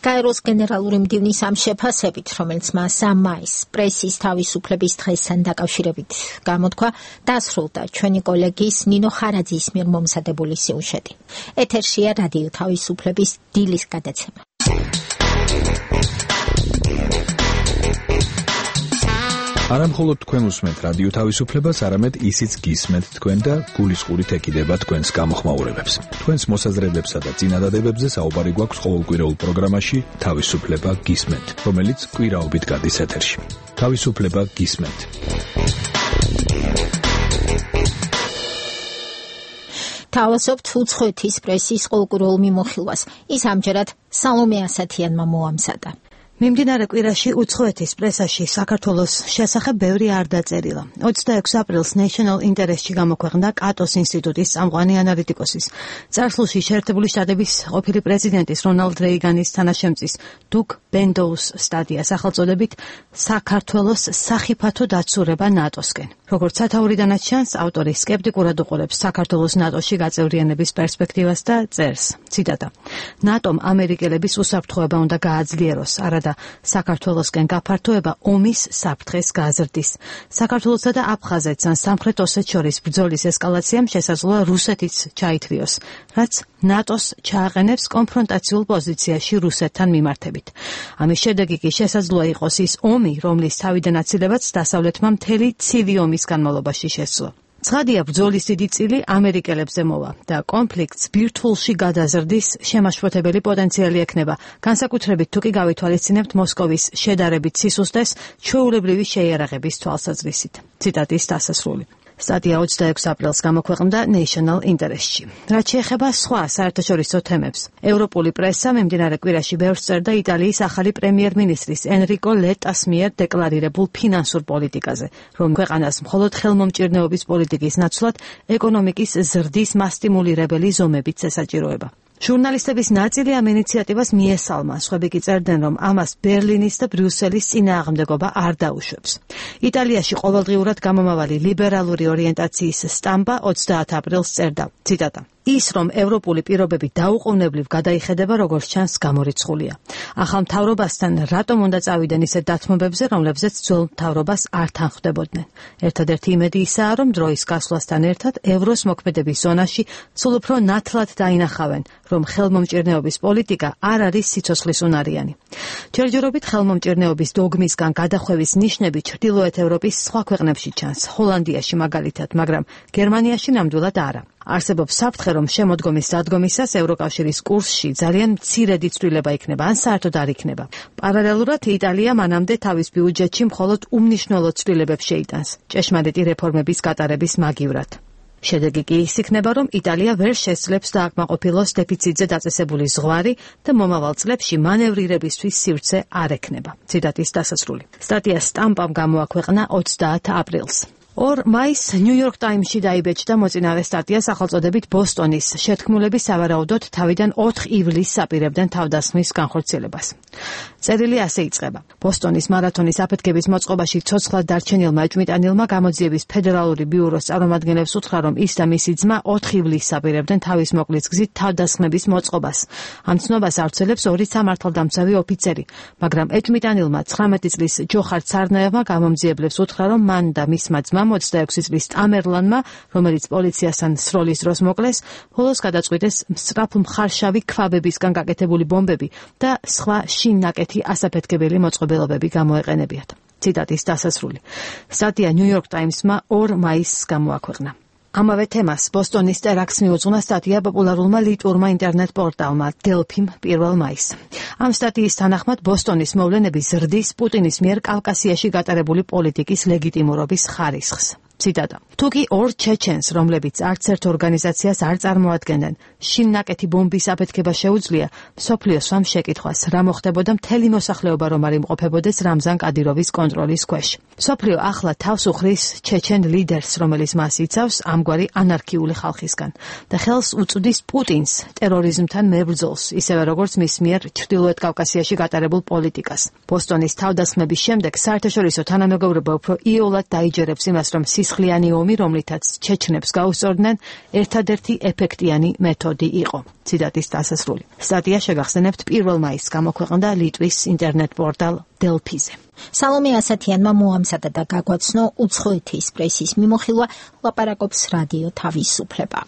გაეროს გენერალური მდივნის ამ შეფასებით, რომელიც მას ამ მაისს პრესის თავისუფლების დღესთან დაკავშირებით გამოთქვა, დასრულდა ჩვენი კოლეგის ნინო ხარაძის მიერ მომზადებული სიუჟეტი. ეთერშია რადიო თავისუფლების დილის გადაცემა. არა მხოლოდ თქვენ უსმენთ რადიო თავისუფლებას, არამედ ისიც გისმენთ თქვენ და გულისყურით ეკიდება თქვენს გამოხმაურებებს. თქვენს მოსაზრებებსა და წინადადებებზე საუბარი გვაქვს ყოველკვირეულ პროგრამაში თავისუფლება გისმენთ, რომელიც კვირაობით გადის ეთერში. თავისუფლება გისმენთ. თავაზობთ უცხოეთის პრესის ყოველკვირეულ მიმოხილვას. ის ამჯერად სალომე ასათიანმა მოამზადა. მიმდინარე კვირაში უცხოეთის პრესაში საქართველოს შესახებ ბევრი არ დაწერილა. ოცდაექვსი აპრილს National Interest-ში გამოქვეყნდა კატოს ინსტიტუტის წამყვანი ანალიტიკოსის, წარსულში შეერთებული შტატების ყოფილი პრეზიდენტის რონალდ რეიგანის თანაშემწის დუგ ბენდოუს სტატია სახელწოდებით საქართველოს სახიფათო დაცურება ნატოსკენ. როგორც სათაურიდანაც ჩანს, ავტორი სკეპტიკურად უყურებს საქართველოს ნატოში გაწევრიანების პერსპექტივას და წერს, ციტატა: ნატომ ამერიკელების უსაფრთხოება უნდა გააძლიეროს, არადა საქართველოსკენ გაფართოება ომის საფრთხეს გაზრდის. საქართველოსა და აფხაზეთს ან სამხრეთ ოსეთს შორის ბრძოლის ესკალაციამ შესაძლოა რუსეთიც ჩაითრიოს, რაც ნატოს ჩააყენებს კონფრონტაციულ პოზიციაში რუსეთთან მიმართებით. ამის შედეგი კი შესაძლოა იყოს ის ომი, რომლის თავიდან აცილებაც დასავლეთმა მთელი ცივი ომის განმავლობაში შესძლო. ცხადია, ბრძოლის დიდი წილი ამერიკელებზე მოვა და კონფლიქტს ბირთვულში გადაზრდის შემაშფოთებელი პოტენციალი ექნება, განსაკუთრებით თუ კი გავითვალისწინებთ მოსკოვის შედარებით სისუსტეს ჩვეულებრივი შეიარაღების თვალსაზრისით. ციტატის დასასრული. სტატია ოცდაექვსი აპრილს გამოქვეყნდა National Interest-ში. რაც შეეხება სხვა საერთაშორისო თემებს, ევროპული პრესა მიმდინარე კვირაში ბევრს წერდა იტალიის ახალი პრემიერ-მინისტრის ენრიკო ლეტას მიერ დეკლარირებულ ფინანსურ პოლიტიკაზე, რომ ქვეყანას მხოლოდ ხელმომჭირნეობის პოლიტიკის ნაცვლად ეკონომიკის ზრდის მასტიმულირებელი ზომებიც ესაჭიროება. ჟურნალისტების ნაწილი ამ ინიციატივას მიესალმა, სხვები კი წერდნენ, რომ ამას ბერლინის და ბრიუსელის წინააღმდეგობა არ დაუშვებს. იტალიაში ყოველდღიურად გამომავალი ლიბერალური ორიენტაციის სტამბა ოცდაათი აპრილს წერდა, ციტატა: ის, რომ ევროპული პირობები დაუყოვნებლივ გადაიხედება, როგორც ჩანს, გამორიცხულია. ახალ მთავრობასთან რატომ უნდა წავიდნენ ისეთ დათმობებზე, რომლებზეც ძველ მთავრობას არ თანხმდებოდნენ. ერთადერთი იმედი ისაა, რომ დროის გასვლასთან ერთად ევროს მოქმედების ზონაში სულ უფრო ნათლად დაინახავენ, რომ ხელმომჭირნეობის პოლიტიკა არ არის სიცოცხლის უნარიანი. ჯერჯერობით ხელმომჭირნეობის დოგმისგან გადახვევის ნიშნები ჩრდილოეთ ევროპის სხვა ქვეყნებში ჩანს, ჰოლანდიაში მაგალითად, მაგრამ გერმანიაში ნამდვილად არა. არსებობს საფრთხე, რომ შემოდგომის დადგომისას ევროკავშირის კურსში ძალიან მცირედი ცვლილება იქნება, ან საერთოდ არ იქნება. პარალელურად იტალია მანამდე თავის ბიუჯეტში მხოლოდ უმნიშვნელო ცვლილებებს შეიტანს ჭეშმარიტი რეფორმების გატარების მაგივრად. შედეგი კი ის იქნება, რომ იტალია ვერ შესძლებს დააკმაყოფილოს დეფიციტზე დაწესებული ზღვარი და მომავალ წლებში მანევრირებისთვის სივრცე არ ექნება. ციტატის დასასრული. სტატია სტამპამ გამოაქვეყნა ოცდაათი აპრილს. ორ მაისს ნიუ-იორკ ტაიმსში დაიბეჭდა მოწინავე სტატია სახელწოდებით ბოსტონის შეთქმულები სავარაუდოდ თავიდან ოთხ ივლისს აპირებდნენ თავდასხმის განხორციელებას. წერილი ასე იწყება. ბოსტონის მარათონის აფეთქების მოწყობაში ცოცხლად დარჩენილმა ეჭვმიტანილმა გამოძიების ფედერალური ბიუროს წარმომადგენლებს უთხრა, რომ ის და მისი ძმა ოთხ ივლისს აპირებდნენ თავის მოკლის გზით თავდასხმების მოწყობას. ამ ცნობას ავრცელებს ორი სამართალდამცავი ოფიცერი, მაგრამ ეჭვმიტანილმა ცხრამეტი წლის ჯოხარ ცარნაევმა გამომძიებლებს უთხრა, რომ მან და მისმა ძმამ ოცდაექვსი წლის ტამერლანმა, რომელიც პოლიციასთან სროლის დროს მოკლეს, ბოლოს გადაწყვიტეს მსწრაფ მხარშავი ქვაბებისგან გაკეთებული ბომბები და სხვა შინნაკეთი ასაფეთქებელი მოწყობილობები გამოეყენებიათ. ციტატის დასასრული. სტატია ნიუ-იორკ ტაიმსმა ორ მაისს გამოაქვეყნა. ამავე თემას ბოსტონის ტერაქტს მიუძღვნა სტატია პოპულარულმა ლიტვურმა ინტერნეტ პორტალმა დელფიმ პირველ მაისს. ამ სტატიის თანახმად ბოსტონის მოვლენები ზრდის პუტინის მიერ კავკასიაში გატარებული პოლიტიკის ლეგიტიმურობის ხარისხს. ციტატა. თუკი ორ ჩეჩენს, რომლებიც არც ერთ ორგანიზაციას არ წარმოადგენენ, შინნაკეთი ბომბის აფეთქება შეუძლია, მსოფლიოს სვამ შეკითხვას, რა მოხდებოდა მთელი მოსახლეობა რომ არ იმყოფებოდეს რამზან კადიროვის კონტროლის ქვეშ. მსოფლიო ახლა თავს უხრის ჩეჩენ ლიდერს, რომელიც მას იცავს ამგვარი ანარქიული ხალხისგან და ხელს უწვდის პუტინს ტერორიზმთან მებრძოლს, ისევე როგორც მის მიერ ჩრდილოეთ კავკასიაში გატარებულ პოლიტიკას. ბოსტონის თავდასხმების შემდეგ საერთაშორისო თანამეგობრობა უფრო იოლად დაიჯერებს იმას, რომ სისხლიანი ომი, რომლითაც ჩეჩნებს გაუსწორდნენ, ერთადერთი ეფექტიანი მეთოდი იყო. ციტატის დასასრული. სტატია შეგახსენებთ პირველ მაისს გამოქვეყნდა ლიტვის ინტერნეტ პორტალ დელფიზე. სალომე ასათიანმა მოამზადა და გაგვაცნო უცხოეთის პრესის მიმოხილვა, ლაპარაკობს რადიო თავისუფლება.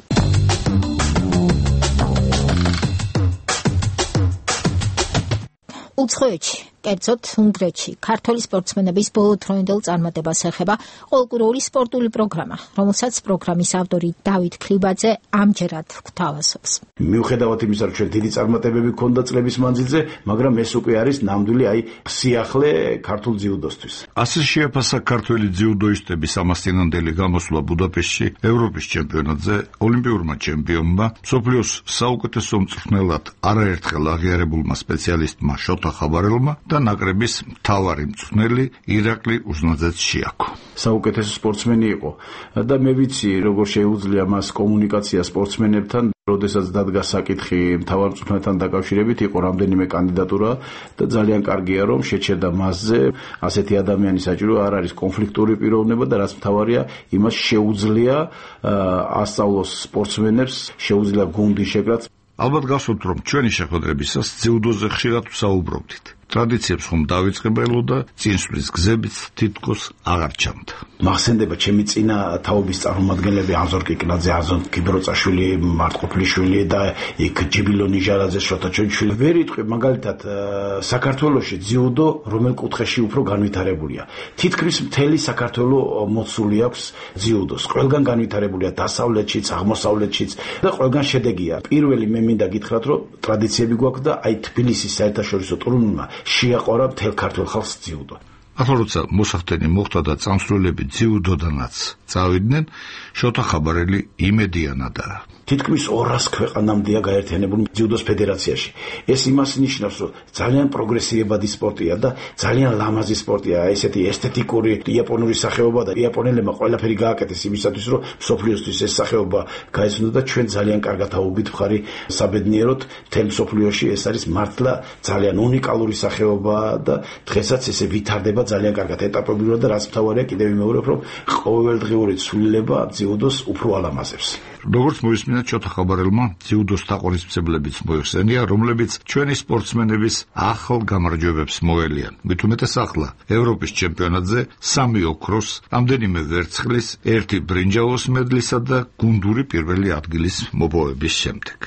უცხოეთში, კერძოდ უნგრეთში, ქართული სპორტსმენების ბოლოდროინდელ წარმატებას ეხება ყოველკვირეული სპორტული პროგრამა, რომელსაც პროგრამის ავტორი დავით ქლიბაძე ამჯერად გვთავაზობს. მიუხედავად იმისა, რომ ჩვენ დიდი წარმატებები ჰქონდა წლების მანძილზე, მაგრამ ეს უკვე არის ნამდვილი აი სიახლე ქართულ ძიუდოსთვის. ასე შეაფასა ქართველი ძიუდოისტების ამასწინანდელი გამოსვლა ბუდაპეშტში ევროპის ჩემპიონატზე ოლიმპიურმა ჩემპიონმა, მსოფლიოს საუკეთესო მწვრთნელად არაერთხელ აღიარებულმა სპეციალისტმა შოთა ხაბარელმა და ნაკრების მთავარი მწვრთნელი ირაკლი უზნაძეც შეაქო. საუკეთესო სპორტსმენი იყო და მე ვიცი როგორ შეუძლია მას კომუნიკაცია სპორტსმენებთან. როდესაც დადგა საკითხი მთავარ მწვრთნელთან დაკავშირებით, იყო რამდენიმე კანდიდატურა და ძალიან კარგია რომ შეჩერდა მასზე. ასეთი ადამიანი საჭირო არ არის კონფლიქტური პიროვნება და რაც მთავარია, იმას შეუძლია ასწავლოს სპორტსმენებს, შეუძლია გუნდი შეკრათ. ალბათ გასვოთ რომ ჩვენი შეხვედრებისას ძიუდოზე ხშირად ვსაუბრობდით. ტრადიციებს ხომ დავიწყებელო და წინსვლის გზებიც თითქოს აღარ ჩამდა. მახსენდება ჩემი წინა თაობის წარმომადგენლები აზორ კიკნაძე, აზონ კიბროწაშვილი, მარტყოფლიშვილი და იქ ჯიბილო ნიჟარაძე, შოთა ჩონჩვილი. ვერ იტყვი მაგალითად საქართველოში ძიუდო რომელ კუთხეში უფრო განვითარებულია. თითქმის მთელი საქართველო მოცული აქვს ძიუდოს. ყველგან განვითარებულია დასავლეთშიც, აღმოსავლეთშიც და ყველგან შედეგია. პირველი მე მინდა გითხრათ, რომ ტრადიციები გვაქვს და აი თბილისის საერთაშორისო ტურნირმა შეაყარა მთელ ქართულ ხალხს ძიუდო. ახლა როცა მოსახდენი მოხდა და წამსვლელები ძიუდოდანაც წავიდნენ, შოთა ხაბარელი იმედიანადაა. თითქმის ორას ქვეყანამდეა გაერთიანებული ძიუდოს ფედერაციაში. ეს იმას ნიშნავს, რომ ძალიან პროგრესირებადი სპორტია და ძალიან ლამაზი სპორტია, ესეთი ესთეტიკური იაპონური სახეობა და იაპონელებმა ყველაფერი გააკეთეს იმისათვის, რომ მსოფლიოსთვის ეს სახეობა გაეცნო და ჩვენ ძალიან კარგად აუგით მხარი საბედნიეროდ მთელ მსოფლიოში ეს არის მართლა ძალიან უნიკალური სახეობა და დღესაც ესე ვითარდება ძალიან კარგად ეტაპობრივად და რაც მთავარია კიდევ ვიმეორებ, რომ ყოველდღიური ცვლილება ძიუდოს უფრო ალამაზებს. როგორც მოისმინეთ შოთა ხაბარელმა, ძიუდოს თაყვანისმცემლებიც მოიხსენია, რომლებიც ჩვენი სპორტსმენების ახალ გამარჯვებებს მოელიან. მით უმეტეს ახლა ევროპის ჩემპიონატზე სამი ოქროს, რამდენიმე ვერცხლის, ერთი ბრინჯაოს მედლისა და გუნდური პირველი ადგილის მოპოვების შემდეგ.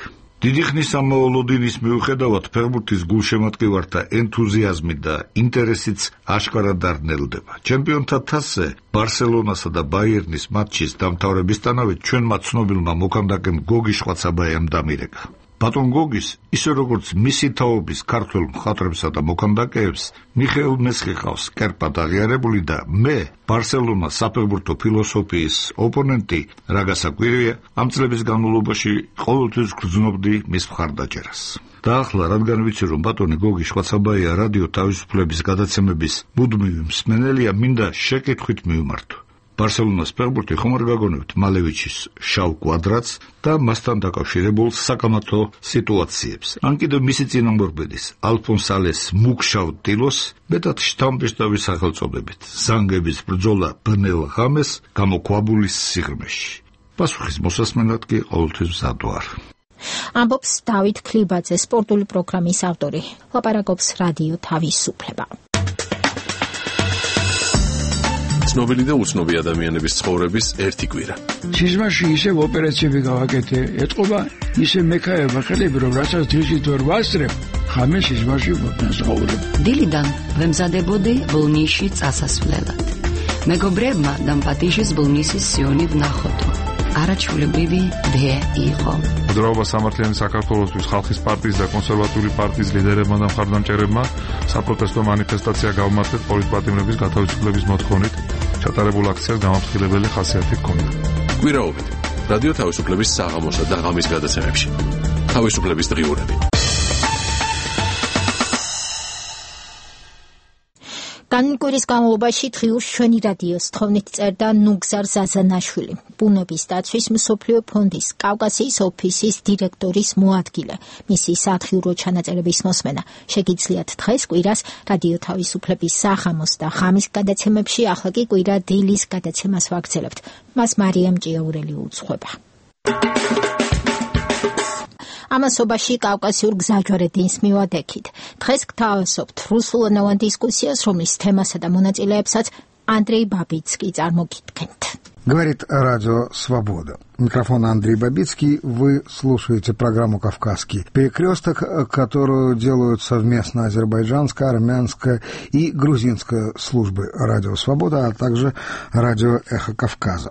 დიდი ხნის ამაოლოდინის მიუხედავად ფეხბურთის გულშემატკივართა ენთუზიაზმი და ინტერესიც აშკარად დარნელდება. ჩემპიონთა თასზე ბარსელონასა და ბაიერნის მატჩის დამთავრებისთანავე ჩვენმა ცნობილმა მოქანდაკემ გოგი შვაცაბაიამ დამირეკა. ბატონ გოგის, ისე როგორც მისი თაობის ქართველ მხატვრებსა და მოქანდაკეებს, მიხეილ მესხი ყავს კერპად აღიარებული და მე, ბარსელონას საფეხბურთო ფილოსოფიის ოპონენტი, რა გასაკვირია, ამ წლების განმავლობაში ყოველთვის გრძნობდი მის მხარდაჭერას. და ახლა, რადგან ვიცი, რომ ბატონი გოგი შვაცაბაია რადიო თავისუფლების გადაცემების მუდმივი მსმენელია, მინდა შეკითხვით მივმართო. ბარსელონას ფეხბურთი ხომ არ გაგონებთ მალევიჩის შავ კვადრატს და მასთან დაკავშირებულ საკამათო სიტუაციებს. ან კიდევ მისი წინამორბედის ალფონსალეს მუქშავ ტილოს მეტად შთამბეჭდავი სახელწოდებით ზანგების ბრძოლა ბნელ ღამეს გამოქვაბულის სიღრმეში. პასუხის მოსასმენად კი ყოველთვის მზად ვარ. ამბობს დავით ქლიბაძე, სპორტული პროგრამის ავტორი. ლაპარაკობს რადიო თავისუფლება. ცნობილი და უცნობი ადამიანების ცხოვრების ერთი კვირა. სიზმარში ისევ ოპერაციები გავაკეთე, ეთყობა ისე მექაება ხელები, რომ რასაც დღისით ვერ ვასწრებ, ხამე სიზმარში ვსაუბრობ. დილიდან ვემზადებოდი ბოლნისში წასასვლელად. მეგობრებმა დამპატიშის ბოლნისის სიონი ვნახოთო. არაჩვეულებრივი დე იყო. მოძრაობა სამართლიანი საქართველოსთვის ხალხის პარტიის და კონსერვატიული პარტიის ლიდერებმა და მხარდამჭერებმა საპროტესტო მანიფესტაცია გავმართეთ პოლიტპატიმრების გათავისუფლების მოთხოვნით. ჩატარებულ აქციას გამაფრთხილებელი ხასიათი ჰქონდა. კვირაობით რადიო თავისუფლების საღამოსა და ღამის გადაცემებში. თავისუფლების დღიურები. განკვირის განმავლობაში დღიურს ჩვენი რადიოს თხოვნით წერდა ნუგზარ ზაზანაშვილი, ბუნების დაცვის მსოფლიო ფონდის კავკასიის ოფისის დირექტორის მოადგილე. მისი სათხიურო ჩანაწერების მოსმენა შეგიძლიათ დღეს კვირას რადიო თავისუფლების საღამოს და ღამის გადაცემებში, ახლა კი კვირა დილის გადაცემას ვაგრძელებთ. მას მარიამ ჭიაურელი უძღვება. ამასობაში კავკასიურ გზაჯვარედინს მივადექით. დღეს გთავაზობთ რუსულენოვან დისკუსიას, რომლის თემასა და მონაწილეებსაც Андрей Бабицкий წარმოგიდგენთ. Говорит Радио Свобода. Микрофон Андрей Бабицкий. Вы слушаете программу «Кавказский перекресток», которую делают совместно азербайджанская, армянская и грузинская службы Радио Свобода, а также Радио Эхо Кавказа.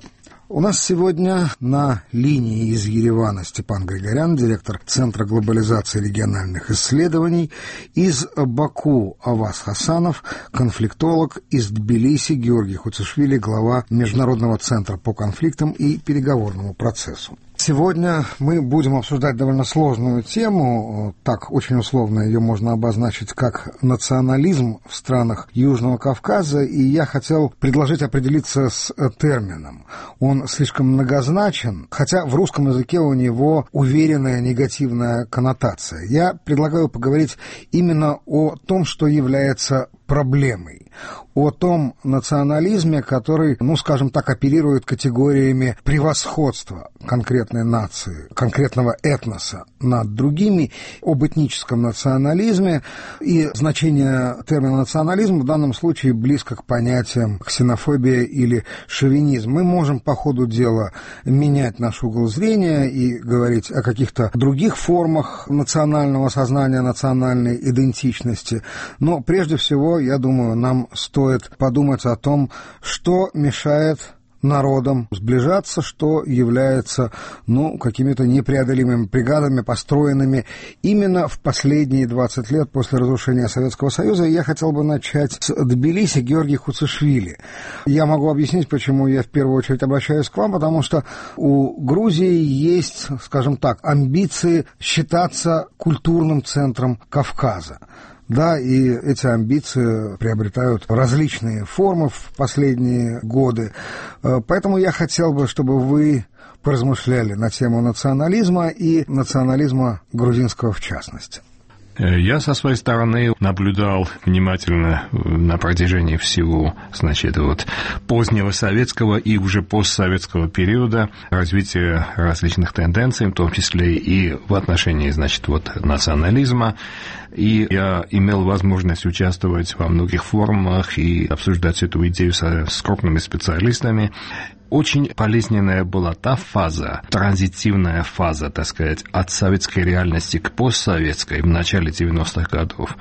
У нас сегодня на линии из Еревана Степан Григорян, директор Центра глобализации региональных исследований, из Баку Аваз Хасанов, конфликтолог, из Тбилиси Георгий Хуцишвили, глава Международного центра по конфликтам и переговорному процессу. Сегодня мы будем обсуждать довольно сложную тему, так очень условно ее можно обозначить как национализм в странах Южного Кавказа, и я хотел предложить определиться с термином. Он слишком многозначен, хотя в русском языке у него уверенная негативная коннотация. Я предлагаю поговорить именно о том, что является проблемой, о том национализме, который, ну, скажем так, оперирует категориями превосходства конкретной нации, конкретного этноса над другими, об этническом национализме, и значение термина национализм в данном случае близко к понятиям ксенофобия или шовинизм. Мы можем по ходу дела менять наш угол зрения и говорить о каких-то других формах национального сознания, национальной идентичности, но прежде всего, я думаю, нам стоит подумать о том, что мешает народам сближаться, что является, ну, какими-то непреодолимыми преградами, построенными именно в последние двадцать лет после разрушения Советского Союза. И я хотел бы начать с Тбилиси Георгий Хуцишвили. Я могу объяснить, почему я в первую очередь обращаюсь к вам, потому что у Грузии есть, скажем так, амбиции считаться культурным центром Кавказа. Да, и эти амбиции приобретают различные формы в последние годы. Поэтому я хотел бы, чтобы вы поразмышляли на тему национализма и национализма грузинского в частности. Я со своей стороны наблюдал внимательно на протяжении всего, значит, вот позднего советского и уже постсоветского периода развития различных тенденций, в том числе и в отношении, значит, вот национализма. И я имел возможность участвовать во многих форумах и обсуждать эту идею со, с крупными специалистами. очень болезненная была та фаза, транзитивная фаза, так сказать, от советской реальности к постсоветской в начале девяностых годов,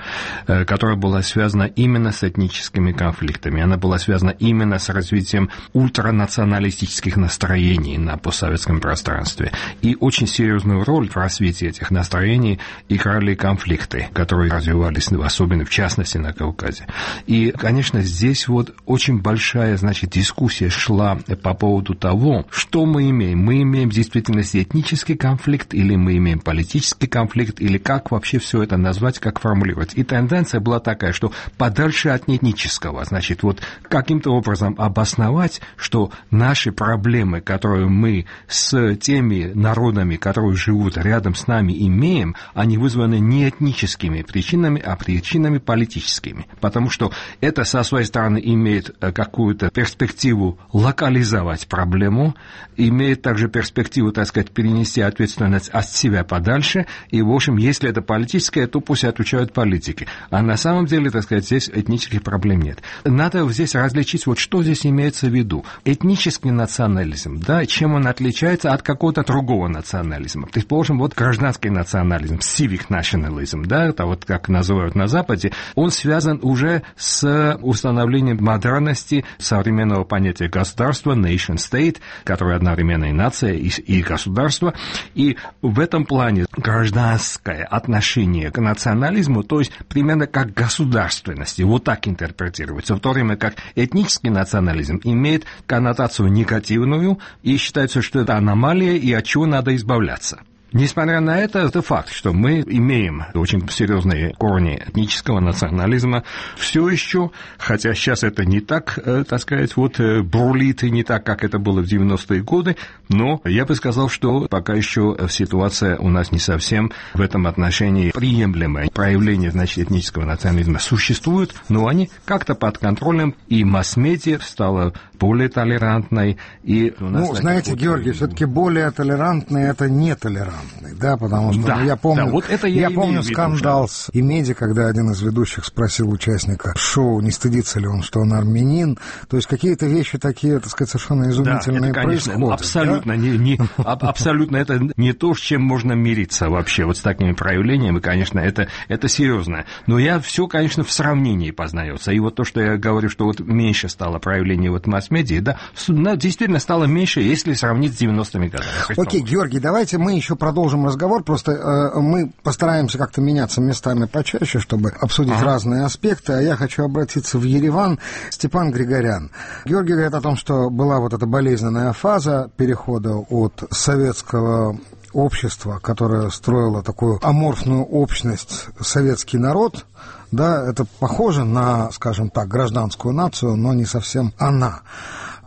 которая была связана именно с этническими конфликтами. Она была связана именно с развитием ультранационалистических настроений на постсоветском пространстве. И очень серьезную роль в развитии этих настроений играли конфликты, которые развивались, особенно в частности на Кавказе. И, конечно, здесь вот очень большая, значит, дискуссия шла по поводу того, что мы имеем. Мы имеем в действительности этнический конфликт, или мы имеем политический конфликт, или как вообще все это назвать, как формулировать. И тенденция была такая, что подальше от этнического, значит, вот каким-то образом обосновать, что наши проблемы, которые мы с теми народами, которые живут рядом с нами, имеем, они вызваны не этническими причинами, а причинами политическими. Потому что это, со своей стороны, имеет какую-то перспективу локализовать проблему, имеет также перспективу, так сказать, перенести ответственность от себя подальше, и, в общем, если это политическое, то пусть отвечают политики. А на самом деле, так сказать, здесь этнических проблем нет. Надо здесь различить, вот что здесь имеется в виду. Этнический национализм, да, чем он отличается от какого-то другого национализма. Предположим, вот гражданский национализм, civic nationalism, да, это вот как называют на Западе, он связан уже с установлением модерности современного понятия государства, nation state, которое одновременно и нация, и, и государство. И в этом плане гражданское отношение к национализму, то есть примерно как государственности, вот так интерпретируется, в то время как этнический национализм имеет коннотацию негативную, и считается, что это аномалия, и от чего надо избавляться. Несмотря на это, это факт, что мы имеем очень серьезные корни этнического национализма все еще, хотя сейчас это не так, так сказать, вот бурлит, и не так, как это было в девяностые годы, но я бы сказал, что пока еще ситуация у нас не совсем в этом отношении приемлемая. Проявления, значит, этнического национализма существуют, но они как-то под контролем, и масс-медиа стала более толерантной. И у нас, ну, знаете, вот... Георгий, все-таки более толерантный – это нетолерантный. Да, потому что да, ну, я помню, да, вот это я я помню виду, скандал с Имеди, когда один из ведущих спросил участника шоу, не стыдится ли он, что он армянин. То есть какие-то вещи такие, так сказать, совершенно изумительные, да, это, конечно, происходят. Абсолютно, да? не, не, абсолютно это не то, с чем можно мириться вообще, вот с такими проявлениями, конечно, это, это серьезно. Но я все, конечно, в сравнении познается. И вот то, что я говорю, что вот меньше стало проявлений вот масс-медиа, да, действительно стало меньше, если сравнить с девяностыми годами. Окей, Георгий, давайте мы еще продолжим разговор, просто э, мы постараемся как-то меняться местами почаще, чтобы обсудить ага. разные аспекты, а я хочу обратиться в Ереван. Степан Григорян. Георгий говорит о том, что была вот эта болезненная фаза перехода от советского общества, которое строило такую аморфную общность, советский народ. Да, это похоже на, скажем так, гражданскую нацию, но не совсем она.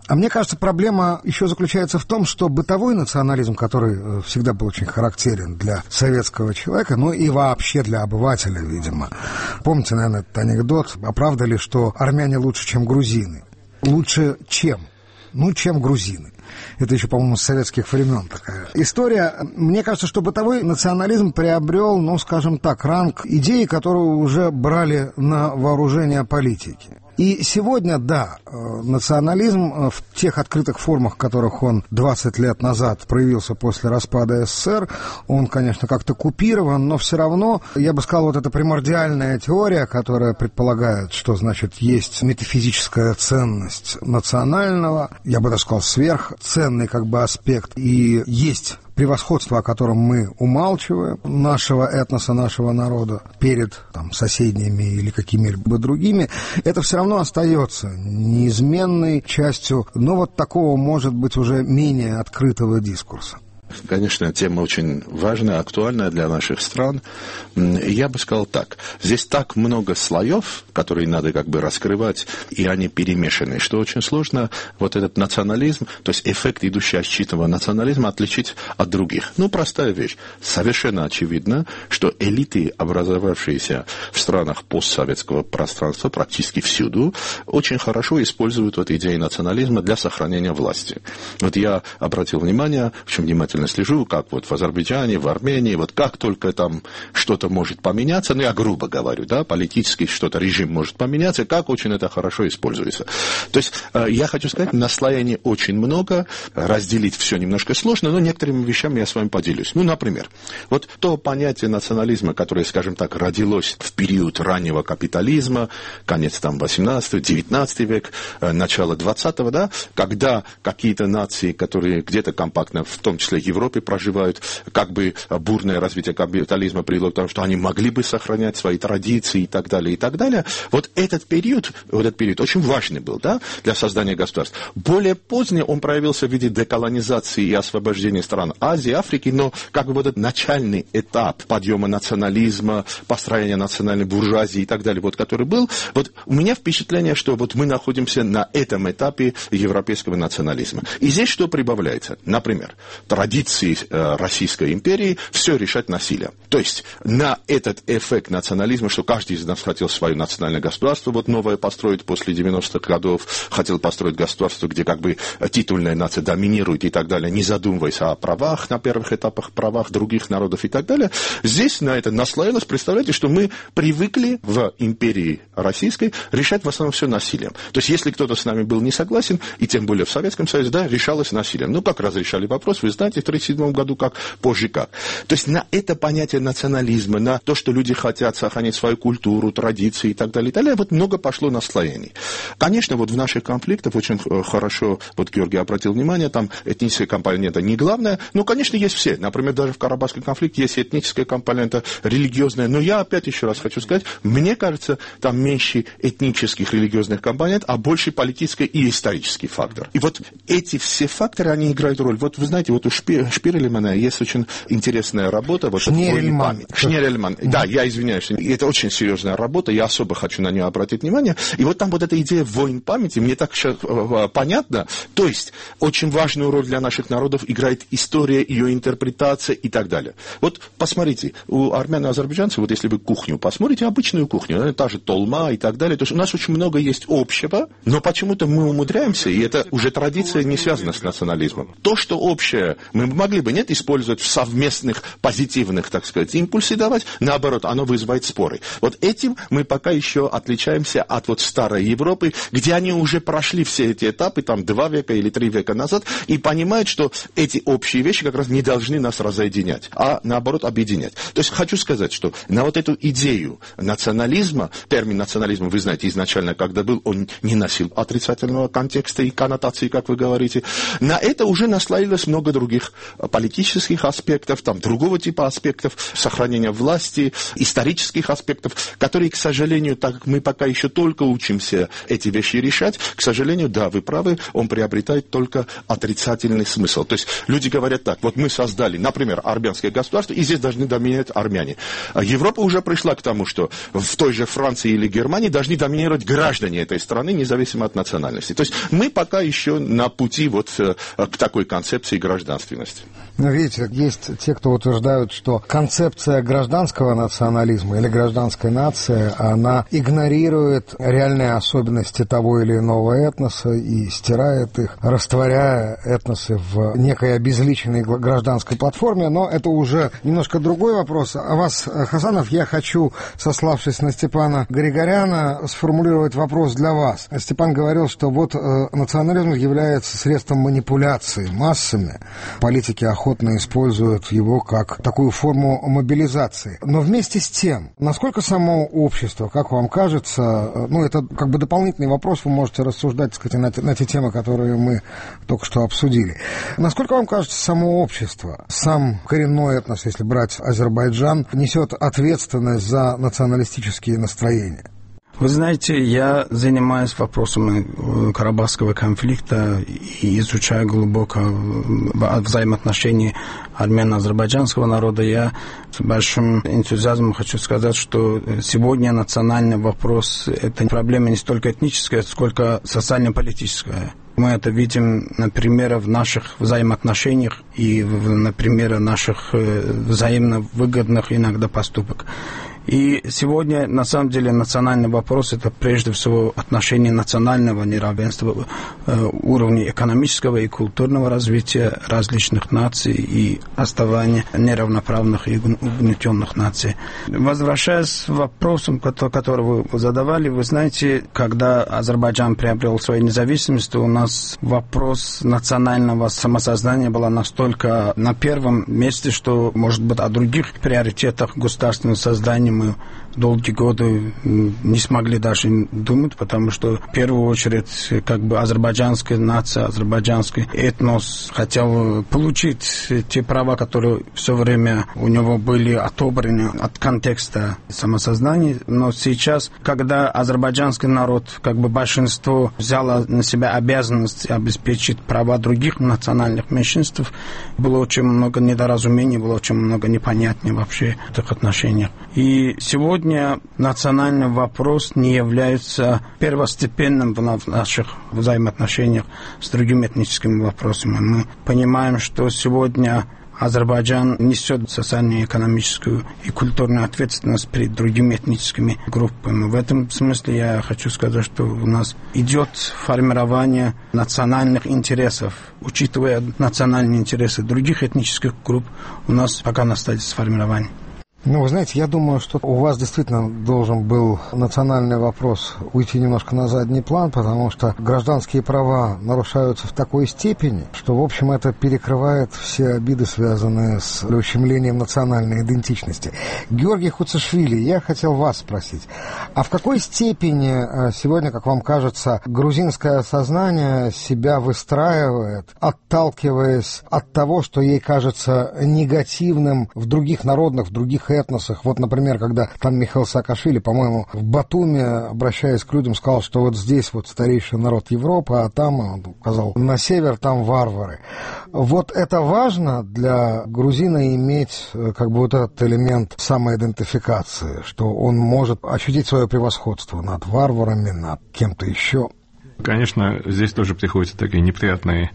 А мне кажется, проблема еще заключается в том, что бытовой национализм, который всегда был очень характерен для советского человека, ну и вообще для обывателя, видимо. Помните, наверное, этот анекдот, а правда ли, что армяне лучше, чем грузины? Лучше чем? Ну, чем грузины. Это еще, по-моему, с советских времен такая история. Мне кажется, что бытовой национализм приобрел, ну, скажем так, ранг идеи, которую уже брали на вооружение политики. И сегодня, да, национализм в тех открытых формах, в которых он двадцать лет назад проявился после распада СССР, он, конечно, как-то купирован, но все равно, я бы сказал, вот эта примордиальная теория, которая предполагает, что, значит, есть метафизическая ценность национального, я бы даже сказал, сверхценный как бы аспект, и есть превосходство, о котором мы умалчиваем, нашего этноса, нашего народа перед там, соседними или какими-либо другими, это все равно остается неизменной частью, но вот такого, может быть, уже менее открытого дискурса. Конечно, тема очень важная, актуальная для наших стран. Я бы сказал так. Здесь так много слоев, которые надо как бы раскрывать, и они перемешаны, что очень сложно вот этот национализм, то есть эффект, идущий от чистого национализма, отличить от других. Ну, простая вещь. Совершенно очевидно, что элиты, образовавшиеся в странах постсоветского пространства практически всюду, очень хорошо используют вот идею национализма для сохранения власти. Вот я обратил внимание, в чем внимательно внимательно слежу, как вот в Азербайджане, в Армении, вот как только там что-то может поменяться, ну я грубо говорю, да, политически что-то, режим может поменяться, как очень это хорошо используется. То есть я хочу сказать, наслоений очень много, разделить все немножко сложно, но некоторыми вещами я с вами поделюсь. Ну, например, вот то понятие национализма, которое, скажем так, родилось в период раннего капитализма, конец там восемнадцатого, девятнадцатый век, начало двадцатого, да, когда какие-то нации, которые где-то компактно, в том числе в Европе, проживают, как бы бурное развитие капитализма привело к тому, что они могли бы сохранять свои традиции и так далее, и так далее. Вот этот период, вот этот период очень важный был, да, для создания государств. Более позднее он проявился в виде деколонизации и освобождения стран Азии, Африки, но как бы вот этот начальный этап подъема национализма, построения национальной буржуазии и так далее, вот который был, вот у меня впечатление, что вот мы находимся на этом этапе европейского национализма. И здесь что прибавляется? Например, традиции э, Российской империи все решать насилием. То есть на этот эффект национализма, что каждый из нас хотел свое национальное государство, вот новое построить после девяностых годов, хотел построить государство, где как бы титульная нация доминирует и так далее, не задумываясь о правах на первых этапах, правах других народов и так далее. Здесь на это наслоилось, представляете, что мы привыкли в империи российской решать в основном все насилием. То есть если кто-то с нами был не согласен, и тем более в Советском Союзе, да, решалось насилием. Ну, как разрешали вопрос, вы знаете, в тридцать седьмом году как, позже как. То есть на это понятие национализма, на то, что люди хотят сохранить свою культуру, традиции и так далее, и так далее, вот много пошло наслоений. Конечно, вот в наших конфликтах очень хорошо, вот Георгий обратил внимание, там этническая компонента не главная, но, конечно, есть все. Например, даже в Карабахском конфликте есть этническая компонента, религиозная, но я опять еще раз хочу сказать, мне кажется, там меньше этнических религиозных компонент, а больше политический и исторический фактор. И вот эти все факторы, они играют роль. Вот вы знаете, вот у Шпи, Шпирельмана есть очень интересная работа. Вот Шнерельман. Шнерельман. Да, я извиняюсь. Это очень серьезная работа, я особо хочу на нее обратить внимание. И вот там вот эта идея войн памяти, мне так сейчас понятно. То есть, очень важную роль для наших народов играет история, ее интерпретация и так далее. Вот посмотрите, у армян и азербайджанцев, вот если вы кухню посмотрите, обычную кухню, та же толма и так далее, то есть у нас очень много есть общего, но почему-то мы умудряемся, и это уже традиция не связана с национализмом. То, что общее, мы могли бы, нет, использовать в совместных позитивных, так сказать, импульсы давать, наоборот, оно вызывает споры. Вот этим мы пока еще отличаемся от вот старой Европы, где они уже прошли все эти этапы, там, два века или три века назад, и понимают, что эти общие вещи как раз не должны нас разъединять, а наоборот объединять. То есть хочу сказать, что на вот эту идею национализма, термин национализма, вы знаете, изначально, когда был, он не носил отрицательного контекста и коннотации, как вы говорите. На это уже наслоилось много других политических аспектов, там, другого типа аспектов, сохранения власти, исторических аспектов, которые, к сожалению, так как мы пока еще только учимся эти вещи решать, к сожалению, да, вы правы, он приобретает только отрицательный смысл. То есть люди говорят так, вот мы создали, например, армянское государство, и здесь должны доминировать армяне. Европа уже пришла к тому, что в той же Франции или Германии должны доминировать граждане этой страны, независимо от национальности. То есть мы пока еще на пути вот к такой концепции гражданственности. Но видите, есть те, кто утверждают, что концепция гражданского национализма или гражданской нации, она игнорирует реальные особенности того или иного этноса и стирает их, растворяя этносы в некой обезличенной гражданской платформе. Но это уже немножко другой вопрос. А вас, Хасанов, я хочу, сославшись на Степана Григоряна, сформулировать вопрос для вас. Степан говорил, что вот э, национализм является средством манипуляции массами. Политики охотно используют его как такую форму мобилизации. Но вместе с тем, насколько само общество, как вам кажется, ну, это как бы дополнительный вопрос, вы можете рассуждать, так сказать, на, те, на те темы, которые мы только что обсудили. Насколько вам кажется, само общество, сам коренной этнос, если брать Азербайджан, несет ответственность за националистические настроения? Вы знаете, я занимаюсь вопросами Карабахского конфликта и изучаю глубоко взаимоотношения армяно-азербайджанского народа. Я с большим энтузиазмом хочу сказать, что сегодня национальный вопрос – это проблема не столько этническая, сколько социально-политическая. Мы это видим, например, в наших взаимоотношениях и, например, в наших взаимно выгодных иногда поступках. И сегодня, на самом деле, национальный вопрос – это прежде всего отношение национального неравенства, уровня экономического и культурного развития различных наций и оставания неравноправных и угнетенных наций. Возвращаясь к вопросам, которые вы задавали, вы знаете, когда Азербайджан приобрел свою независимость, у нас вопрос национального самосознания был настолько на первом месте, что, может быть, о других приоритетах государственного создания мы долгие годы не смогли даже думать, потому что в первую очередь как бы азербайджанская нация, азербайджанский этнос хотел получить те права, которые все время у него были отобраны от контекста самосознания. Но сейчас, когда азербайджанский народ, как бы большинство взяло на себя обязанность обеспечить права других национальных меньшинств, было очень много недоразумений, было очень много непонятней вообще в этих отношениях. И сегодня национальный вопрос не является первостепенным в наших взаимоотношениях с другими этническими вопросами. Мы понимаем, что сегодня Азербайджан несет социальную, экономическую и культурную ответственность перед другими этническими группами. В этом смысле я хочу сказать, что у нас идет формирование национальных интересов. Учитывая национальные интересы других этнических групп, у нас пока на стадии сформирования. Ну, вы знаете, я думаю, что у вас действительно должен был национальный вопрос уйти немножко на задний план, потому что гражданские права нарушаются в такой степени, что, в общем, это перекрывает все обиды, связанные с ущемлением национальной идентичности. Георгий Хуцишвили, я хотел вас спросить, а в какой степени сегодня, как вам кажется, грузинское сознание себя выстраивает, отталкиваясь от того, что ей кажется негативным в других народных, в других этносах? Вот, например, когда там Михаил Саакашвили, по-моему, в Батуми, обращаясь к людям, сказал, что вот здесь вот старейший народ Европы, а там, он указал, на север там варвары. Вот это важно для грузина иметь как бы вот этот элемент самоидентификации, что он может ощутить свое превосходство над варварами, над кем-то еще. Конечно, здесь тоже приходится такие неприятные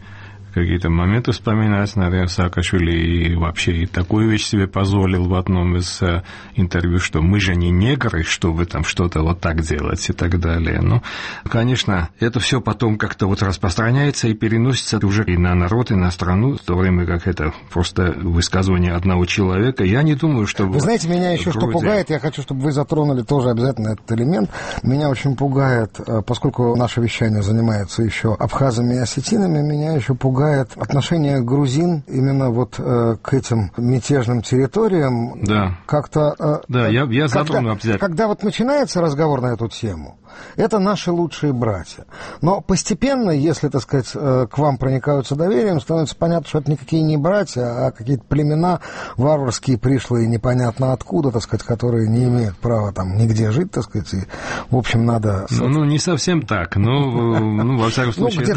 какие-то моменты вспоминать, наверное, Саакашвили и вообще и такую вещь себе позволил в одном из э, интервью, что мы же не негры, чтобы там что-то вот так делать и так далее. Ну, конечно, это все потом как-то вот распространяется и переносится уже и на народ, и на страну, в то время как это просто высказывание одного человека. Я не думаю, что... Вы знаете, меня еще что пугает, я хочу, чтобы вы затронули тоже обязательно этот элемент. Меня очень пугает, поскольку наше вещание занимается еще абхазами и осетинами, меня еще пугает отношение грузин именно вот э, к этим мятежным территориям. Да. Как-то... Э, да, я, я затрону когда, обязательно. Когда вот начинается разговор на эту тему, это наши лучшие братья. Но постепенно, если, так сказать, э, к вам проникаются доверием, становится понятно, что это никакие не братья, а какие-то племена варварские, пришлые, непонятно откуда, так сказать, которые не имеют права там нигде жить, так сказать, и, в общем, надо... Ну, ну не совсем так, но, ну, во всяком случае,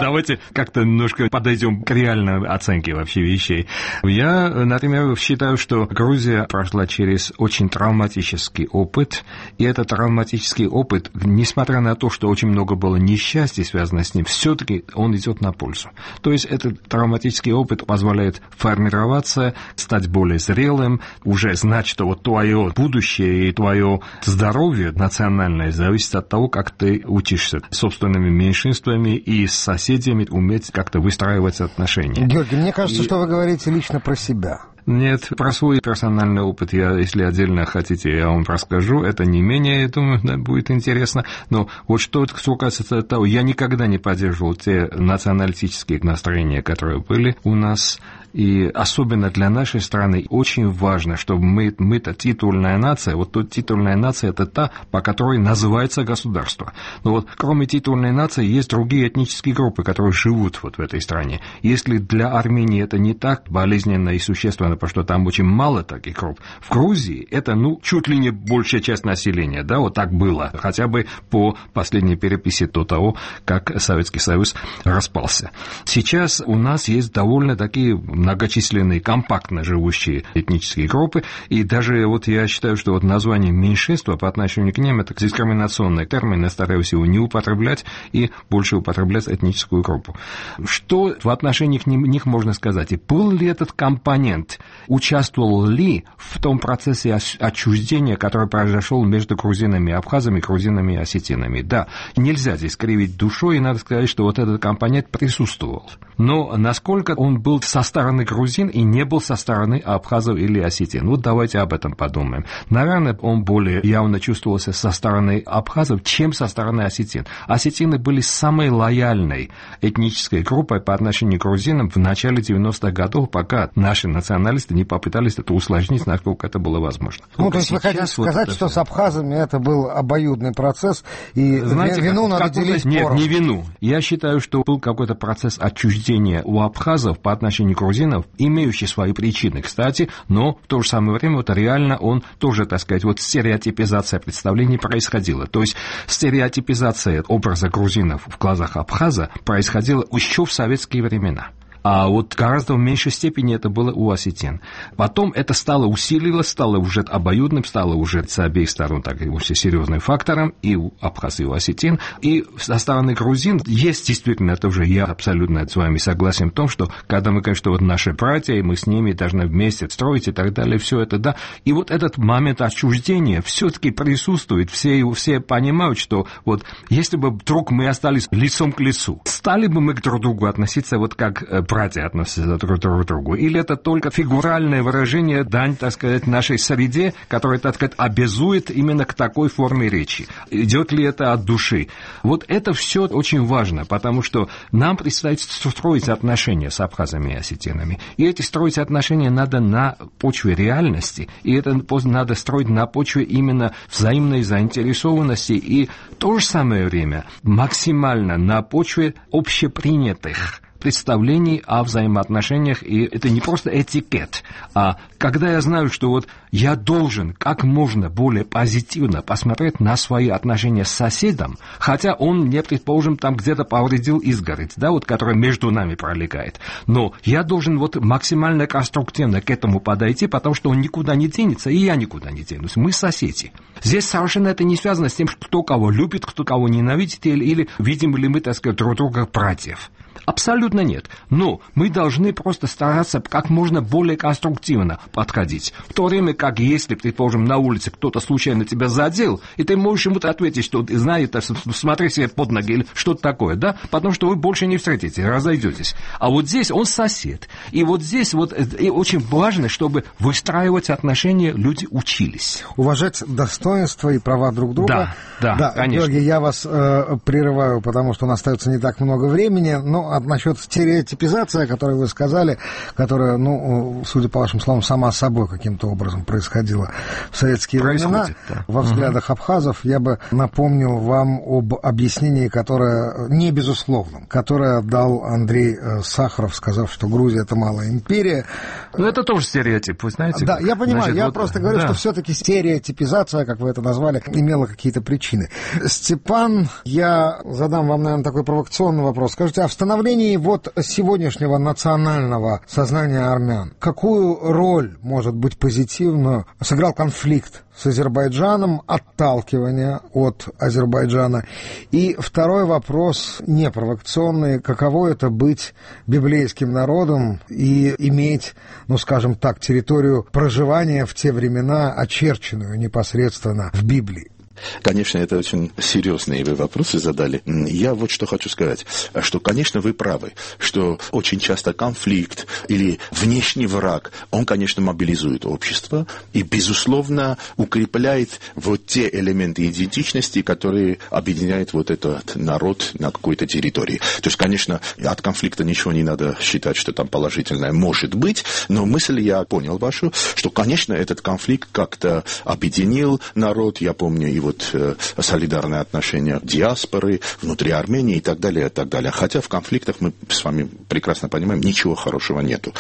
давайте как-то немножко подойдем к реальной оценке вообще вещей. Я, например, считаю, что Грузия прошла через очень травматический опыт, и этот травматический опыт, несмотря на то, что очень много было несчастий, связано с ним, все-таки он идет на пользу. То есть этот травматический опыт позволяет формироваться, стать более зрелым, уже знать, что вот твое будущее и твое здоровье национальное зависит от того, как ты учишься собственными меньшинствами и с соседями уметь как-то выстраивать отношения. Георгий, мне кажется, и... что вы говорите лично про себя. Нет, про свой персональный опыт я, если отдельно хотите, я вам расскажу. Это не менее, я думаю, да, будет интересно. Но вот что касается того, я никогда не поддерживал те националистические настроения, которые были у нас. И особенно для нашей страны очень важно, чтобы мы, мы-то титульная нация, вот тут титульная нация – это та, по которой называется государство. Но вот кроме титульной нации есть другие этнические группы, которые живут вот в этой стране. Если для Армении это не так болезненно и существенно, потому что там очень мало таких групп, в Грузии это, ну, чуть ли не большая часть населения, да, вот так было, хотя бы по последней переписи до того, как Советский Союз распался. Сейчас у нас есть довольно такие многочисленные, компактно живущие этнические группы, и даже вот я считаю, что вот название меньшинства по отношению к ним это дискриминационный термин, я стараюсь его не употреблять и больше употреблять этническую группу. Что в отношении к них можно сказать? И был ли этот компонент, участвовал ли в том процессе отчуждения, который произошел между грузинами и абхазами, грузинами и осетинами? Да, нельзя здесь кривить душой, и надо сказать, что вот этот компонент присутствовал. Но насколько он был со стороны грузин и не был со стороны абхазов или осетин? Вот давайте об этом подумаем. Наверное, он более явно чувствовался со стороны абхазов, чем со стороны осетин. Осетины были самой лояльной этнической группой по отношению к грузинам в начале девяностых годов, пока наши националисты не попытались это усложнить, насколько это было возможно. Ну, Только то есть вы хотите сказать, вот что с абхазами это был обоюдный процесс, и Знаете, вину как, надо как делить Нет, поровну. Не вину. Я считаю, что был какой-то процесс отчуждения у абхазов по отношению к грузинам, имеющий свои причины, кстати, но в то же самое время вот реально он тоже, так сказать, вот стереотипизация представлений происходила. То есть стереотипизация образа грузинов в глазах абхаза происходила еще в советские времена. А вот гораздо в меньшей степени это было у осетин. Потом это стало усиливалось, стало уже обоюдным, стало уже с обеих сторон так очень серьезным фактором, и у абхаз, и у осетин. И со стороны грузин есть действительно, это уже я абсолютно с вами согласен в том, что когда мы говорим, что вот наши братья, и мы с ними должны вместе строить и так далее, все это, да. И вот этот момент отчуждения все-таки присутствует. Все, все понимают, что вот если бы вдруг мы остались лицом к лицу, стали бы мы к друг другу относиться вот как братья относятся друг к другу? Или это только фигуральное выражение, дань, так сказать, нашей среде, которая, так сказать, обязует именно к такой форме речи? Идет ли это от души? Вот это все очень важно, потому что нам предстоит строить отношения с абхазами и осетинами. И эти строить отношения надо на почве реальности, и это надо строить на почве именно взаимной заинтересованности, и в то же самое время максимально на почве общепринятых представлений о взаимоотношениях, и это не просто этикет, а когда я знаю, что вот я должен как можно более позитивно посмотреть на свои отношения с соседом, хотя он мне, предположим, там где-то повредил изгородь, да, вот, которая между нами пролегает, но я должен вот максимально конструктивно к этому подойти, потому что он никуда не денется, и я никуда не денусь, мы соседи. Здесь совершенно это не связано с тем, кто кого любит, кто кого ненавидит, или, или видим ли мы, так сказать, друг друга братьев. Абсолютно нет. Но мы должны просто стараться как можно более конструктивно подходить. В то время как если, предположим, на улице кто-то случайно тебя задел, и ты можешь ему ответить, что ты знаешь, смотри себе под ноги или что-то такое, да? Потому что вы больше не встретитесь, разойдетесь. А вот здесь он сосед. И вот здесь вот и очень важно, чтобы выстраивать отношения, люди учились. Уважать достоинства и права друг друга. Да, да, да, конечно. Георгий, я вас э, прерываю, потому что у нас остается не так много времени, но а насчет стереотипизации, о которой вы сказали, которая, ну, судя по вашим словам, сама собой каким-то образом происходила в советские времена, да. Во взглядах угу. абхазов, я бы напомнил вам об объяснении, которое не безусловном, которое дал Андрей Сахаров, сказав, что Грузия — это малая империя. Ну, это тоже стереотип, вы знаете. Да, я понимаю, Значит, я вот, просто говорю, да. что все-таки стереотипизация, как вы это назвали, имела какие-то причины. Степан, я задам вам, наверное, такой провокационный вопрос. Скажите, а в становлении вот сегодняшнего национального сознания армян какую роль, может быть, позитивную сыграл конфликт с Азербайджаном, отталкивание от Азербайджана? И второй вопрос, не провокационный, каково это быть библейским народом и иметь, ну, скажем так, территорию проживания в те времена, очерченную непосредственно в Библии? Конечно, это очень серьезные вы вопросы задали. Я вот что хочу сказать, что, конечно, вы правы, что очень часто конфликт или внешний враг, он, конечно, мобилизует общество и, безусловно, укрепляет вот те элементы идентичности, которые объединяют вот этот народ на какой-то территории. То есть, конечно, от конфликта ничего не надо считать, что там положительное может быть, но мысль я понял вашу, что, конечно, этот конфликт как-то объединил народ. Я помню его вот солидарные отношения диаспоры внутри Армении и так далее, и так далее. Хотя в конфликтах мы с вами прекрасно понимаем, ничего хорошего нету.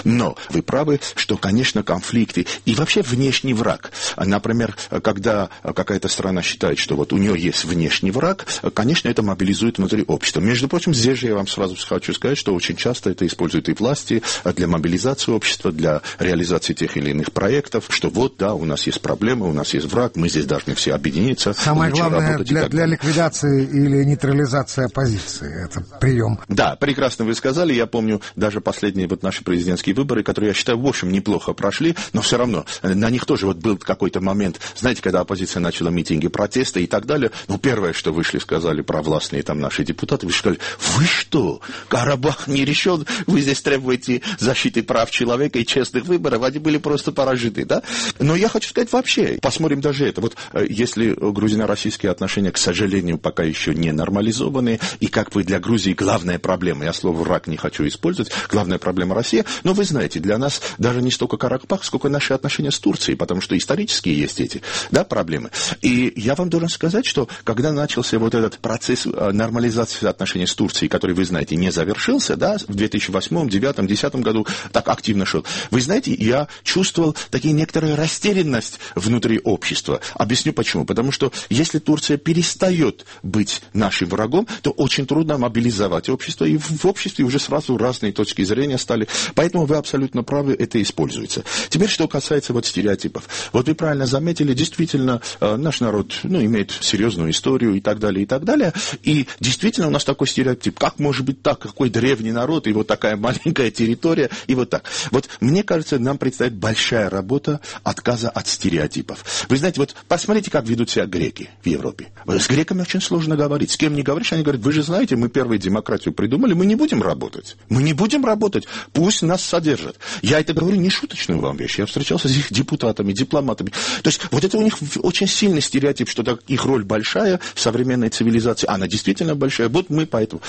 Но вы правы, что, конечно, конфликты и вообще внешний враг. Например, когда какая-то страна считает, что вот у нее есть внешний враг, конечно, это мобилизует внутри общества. Между прочим, здесь же я вам сразу хочу сказать, что очень часто это используют и власти для мобилизации общества, для реализации тех или иных проектов, что вот, да, у нас есть проблемы, у нас есть враг, мы здесь должны все объединиться. Самое главное для, для ликвидации или нейтрализации оппозиции. Это прием. Да, прекрасно вы сказали. Я помню даже последние вот наши президентские выборы, которые, я считаю, в общем, неплохо прошли, но все равно на них тоже вот был какой-то момент, знаете, когда оппозиция начала митинги, протесты и так далее, ну, первое, что вышли, сказали провластные там наши депутаты, вы сказали, вы что, Карабах не решен, вы здесь требуете защиты прав человека и честных выборов, они были просто поражены, да? Но я хочу сказать вообще, посмотрим даже это, вот если грузино-российские отношения, к сожалению, пока еще не нормализованы, и как бы для Грузии главная проблема, я слово «враг» не хочу использовать, главная проблема Россия, но вы знаете, для нас даже не столько Карабах, сколько наши отношения с Турцией, потому что исторические есть эти, да, проблемы. И я вам должен сказать, что когда начался вот этот процесс нормализации отношений с Турцией, который, вы знаете, не завершился, да, в две тысячи восьмом, две тысячи девятом, две тысячи десятом году так активно шел, вы знаете, я чувствовал такие некоторую растерянность внутри общества. Объясню почему. Потому что если Турция перестает быть нашим врагом, то очень трудно мобилизовать общество, и в обществе уже сразу разные точки зрения стали. Поэтому вы абсолютно правы, это используется. Теперь, что касается вот стереотипов. Вот вы правильно заметили, действительно, наш народ, ну, имеет серьезную историю и так далее, и так далее. И действительно у нас такой стереотип. Как может быть так? Какой древний народ, и вот такая маленькая территория, и вот так. Вот мне кажется, нам предстоит большая работа отказа от стереотипов. Вы знаете, вот посмотрите, как ведут себя греки в Европе. С греками очень сложно говорить. С кем не говоришь, они говорят, вы же знаете, мы первую демократию придумали, мы не будем работать. Мы не будем работать, пусть нас содержат. Я это говорю не шуточную вам вещь. Я встречался с их депутатами, дипломатами. То есть вот это у них очень сильный стереотип, что так, их роль большая в современной цивилизации. Она действительно большая. Вот мы поэтому.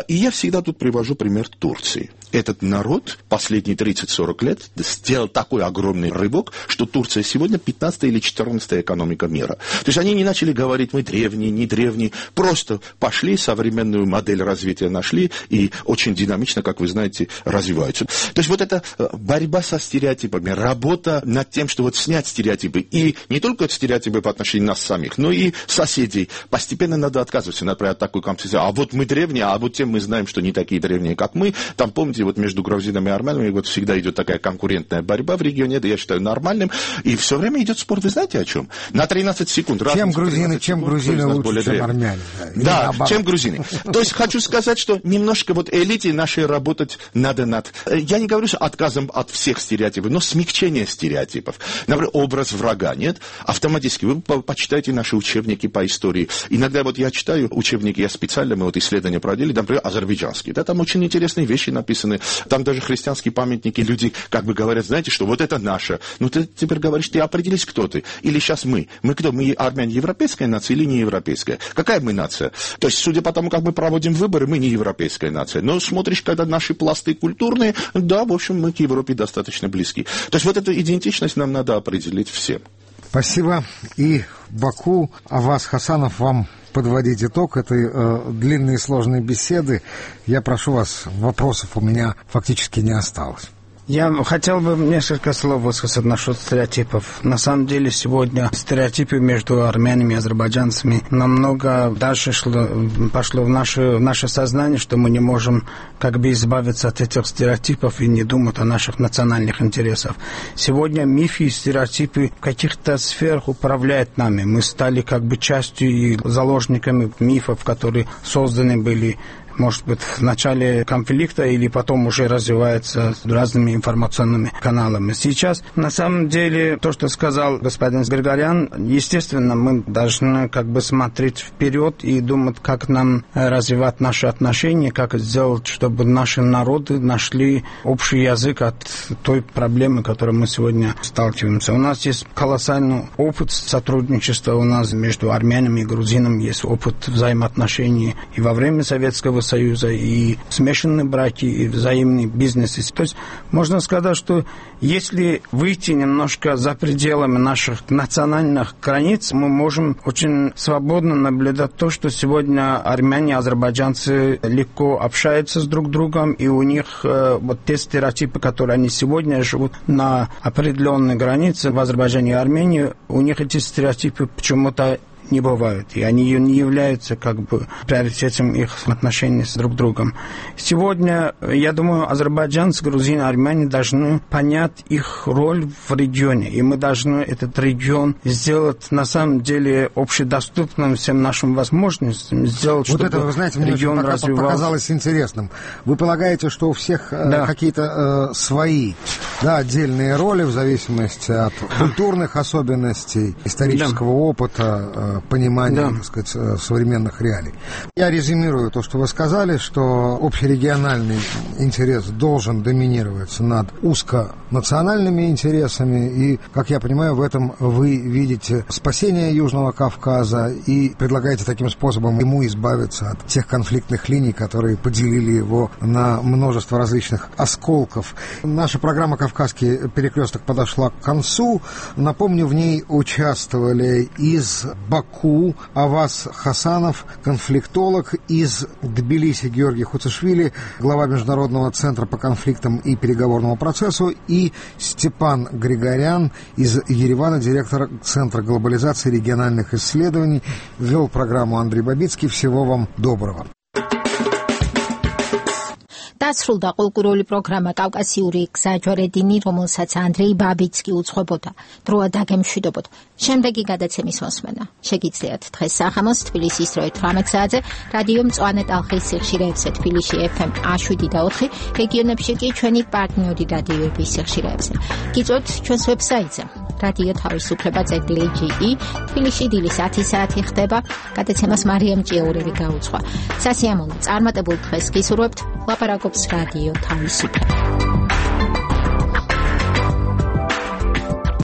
И я всегда тут привожу пример Турции. Этот народ последние тридцать-сорок лет сделал такой огромный рывок, что Турция сегодня пятнадцатая или четырнадцатая экономика мира. То есть они не начали говорить, мы древние, не древние, просто пошли, современную модель развития нашли и очень динамично, как вы знаете, развиваются. То есть вот эта борьба со стереотипами, работа над тем, что вот снять стереотипы, и не только стереотипы по отношению нас самих, но и соседей. Постепенно надо отказываться, например, от такой концепции. А вот мы древние, а вот тем мы знаем, что не такие древние, как мы. Там, помните, вот между грузинами и армянами вот всегда идет такая конкурентная борьба в регионе, это я считаю нормальным. И все время идет спор, вы знаете о чем? На тринадцать секунд. Чем грузины, чем секунд, грузины лучше, чем армяне. Да, да чем грузины. То есть хочу сказать, что немножко вот элите нашей работать надо над... Я не говорю, что отказом от всех стереотипов, но смягчение стереотипов. Например, образ врага, нет? Автоматически. Вы почитайте наши учебники по истории. Иногда вот я читаю учебники, я специально, мы вот исследования проводили, например, азербайджанские. Да, там очень интересные вещи написаны. Там даже христианские памятники, люди как бы говорят, знаете, что вот это наше. Ну ты теперь говоришь, ты определись, кто ты. Или сейчас мы. Мы кто? Мы армяне европейская нация или не европейская? Какая мы нация? То есть, судя по тому, как мы проводим выборы, мы не европейская нация. Но смотришь, когда наши пласты культурные, да, в общем, мы к Европе достаточно близки. То есть, вот эту идентичность нам надо определить всем. Спасибо. И Баку, Аваз Хасанов, вам подводить итог этой э, длинной и сложной беседы. Я прошу вас, вопросов у меня фактически не осталось. Я хотел бы несколько слов высказать насчет стереотипов. На самом деле сегодня стереотипы между армянами и азербайджанцами намного дальше шло, пошло в наше, в наше сознание, что мы не можем как бы избавиться от этих стереотипов и не думать о наших национальных интересах. Сегодня мифы и стереотипы в каких-то сферах управляют нами. Мы стали как бы частью и заложниками мифов, которые созданы были, может быть, в начале конфликта или потом уже развивается разными информационными каналами. Сейчас, на самом деле, то, что сказал господин Григорян, естественно, мы должны как бы смотреть вперед и думать, как нам развивать наши отношения, как сделать, чтобы наши народы нашли общий язык от той проблемы, которой мы сегодня сталкиваемся. У нас есть колоссальный опыт сотрудничества у нас между армянами и грузинами, есть опыт взаимоотношений и во время Советского Советского Союза, и смешанные браки, и взаимные бизнесы. То есть можно сказать, что если выйти немножко за пределами наших национальных границ, мы можем очень свободно наблюдать то, что сегодня армяне, азербайджанцы легко общаются с друг другом, и у них э, вот те стереотипы, которые они сегодня живут на определенной границе в Азербайджане и Армении, у них эти стереотипы почему-то не бывают, и они не являются как бы приоритетом их отношений с друг другом. Сегодня, я думаю, азербайджанцы, грузины, армяне должны понять их роль в регионе, и мы должны этот регион сделать на самом деле общедоступным всем нашим возможностям, сделать, вот чтобы это, вы знаете, мне регион очень развивался. Показалось интересным. Вы полагаете, что у всех да. э, какие-то э, свои, да, отдельные роли в зависимости от культурных особенностей, исторического да. опыта, э, понимания, да. так сказать, современных реалий. Я резюмирую то, что вы сказали, что общерегиональный интерес должен доминировать над узконациональными интересами, и, как я понимаю, в этом вы видите спасение Южного Кавказа и предлагаете таким способом ему избавиться от тех конфликтных линий, которые поделили его на множество различных осколков. Наша программа «Кавказский перекресток» подошла к концу. Напомню, в ней участвовали из Баку Аваз Хасанов, конфликтолог, из Тбилиси Георгий Хуцишвили, глава Международного центра по конфликтам и переговорному процессу, и Степан Григорян из Еревана, директор Центра глобализации и региональных исследований. Вел программу Андрей Бабицкий. Всего вам доброго. დასრულდა კულტურული პროგრამა კავკასიური გზაჯვარედინი, რომელსაც ანდრეი ბაბიცკი უძღვებოდა. დროა დაგემშვიდობოთ. შემდეგი გადაცემის მოსმენა შეგიძლიათ დღეს სახამოს თბილისის დროით თვრამეტ საათზე რადიო მწვანე ტალღის სიხშირეებზე თბილისში ეფ ემ შვიდ და ოთხი, რეგიონებში კი ჩვენი პარტნიორი რადიოების სიხშირეებზე. გიწვევთ ჩვენს ვებსაიტზე რადიო თავისუფლება წერტილი ჯი ი, თბილისში დილის ათი საათი ხდება. გადაცემას მარიამ ჭიაურელი გაუძღვა. სასიამოვნო წარმატებულ დღეს გისურვებთ. ლაპარაკობს რადიო თავისუფლება.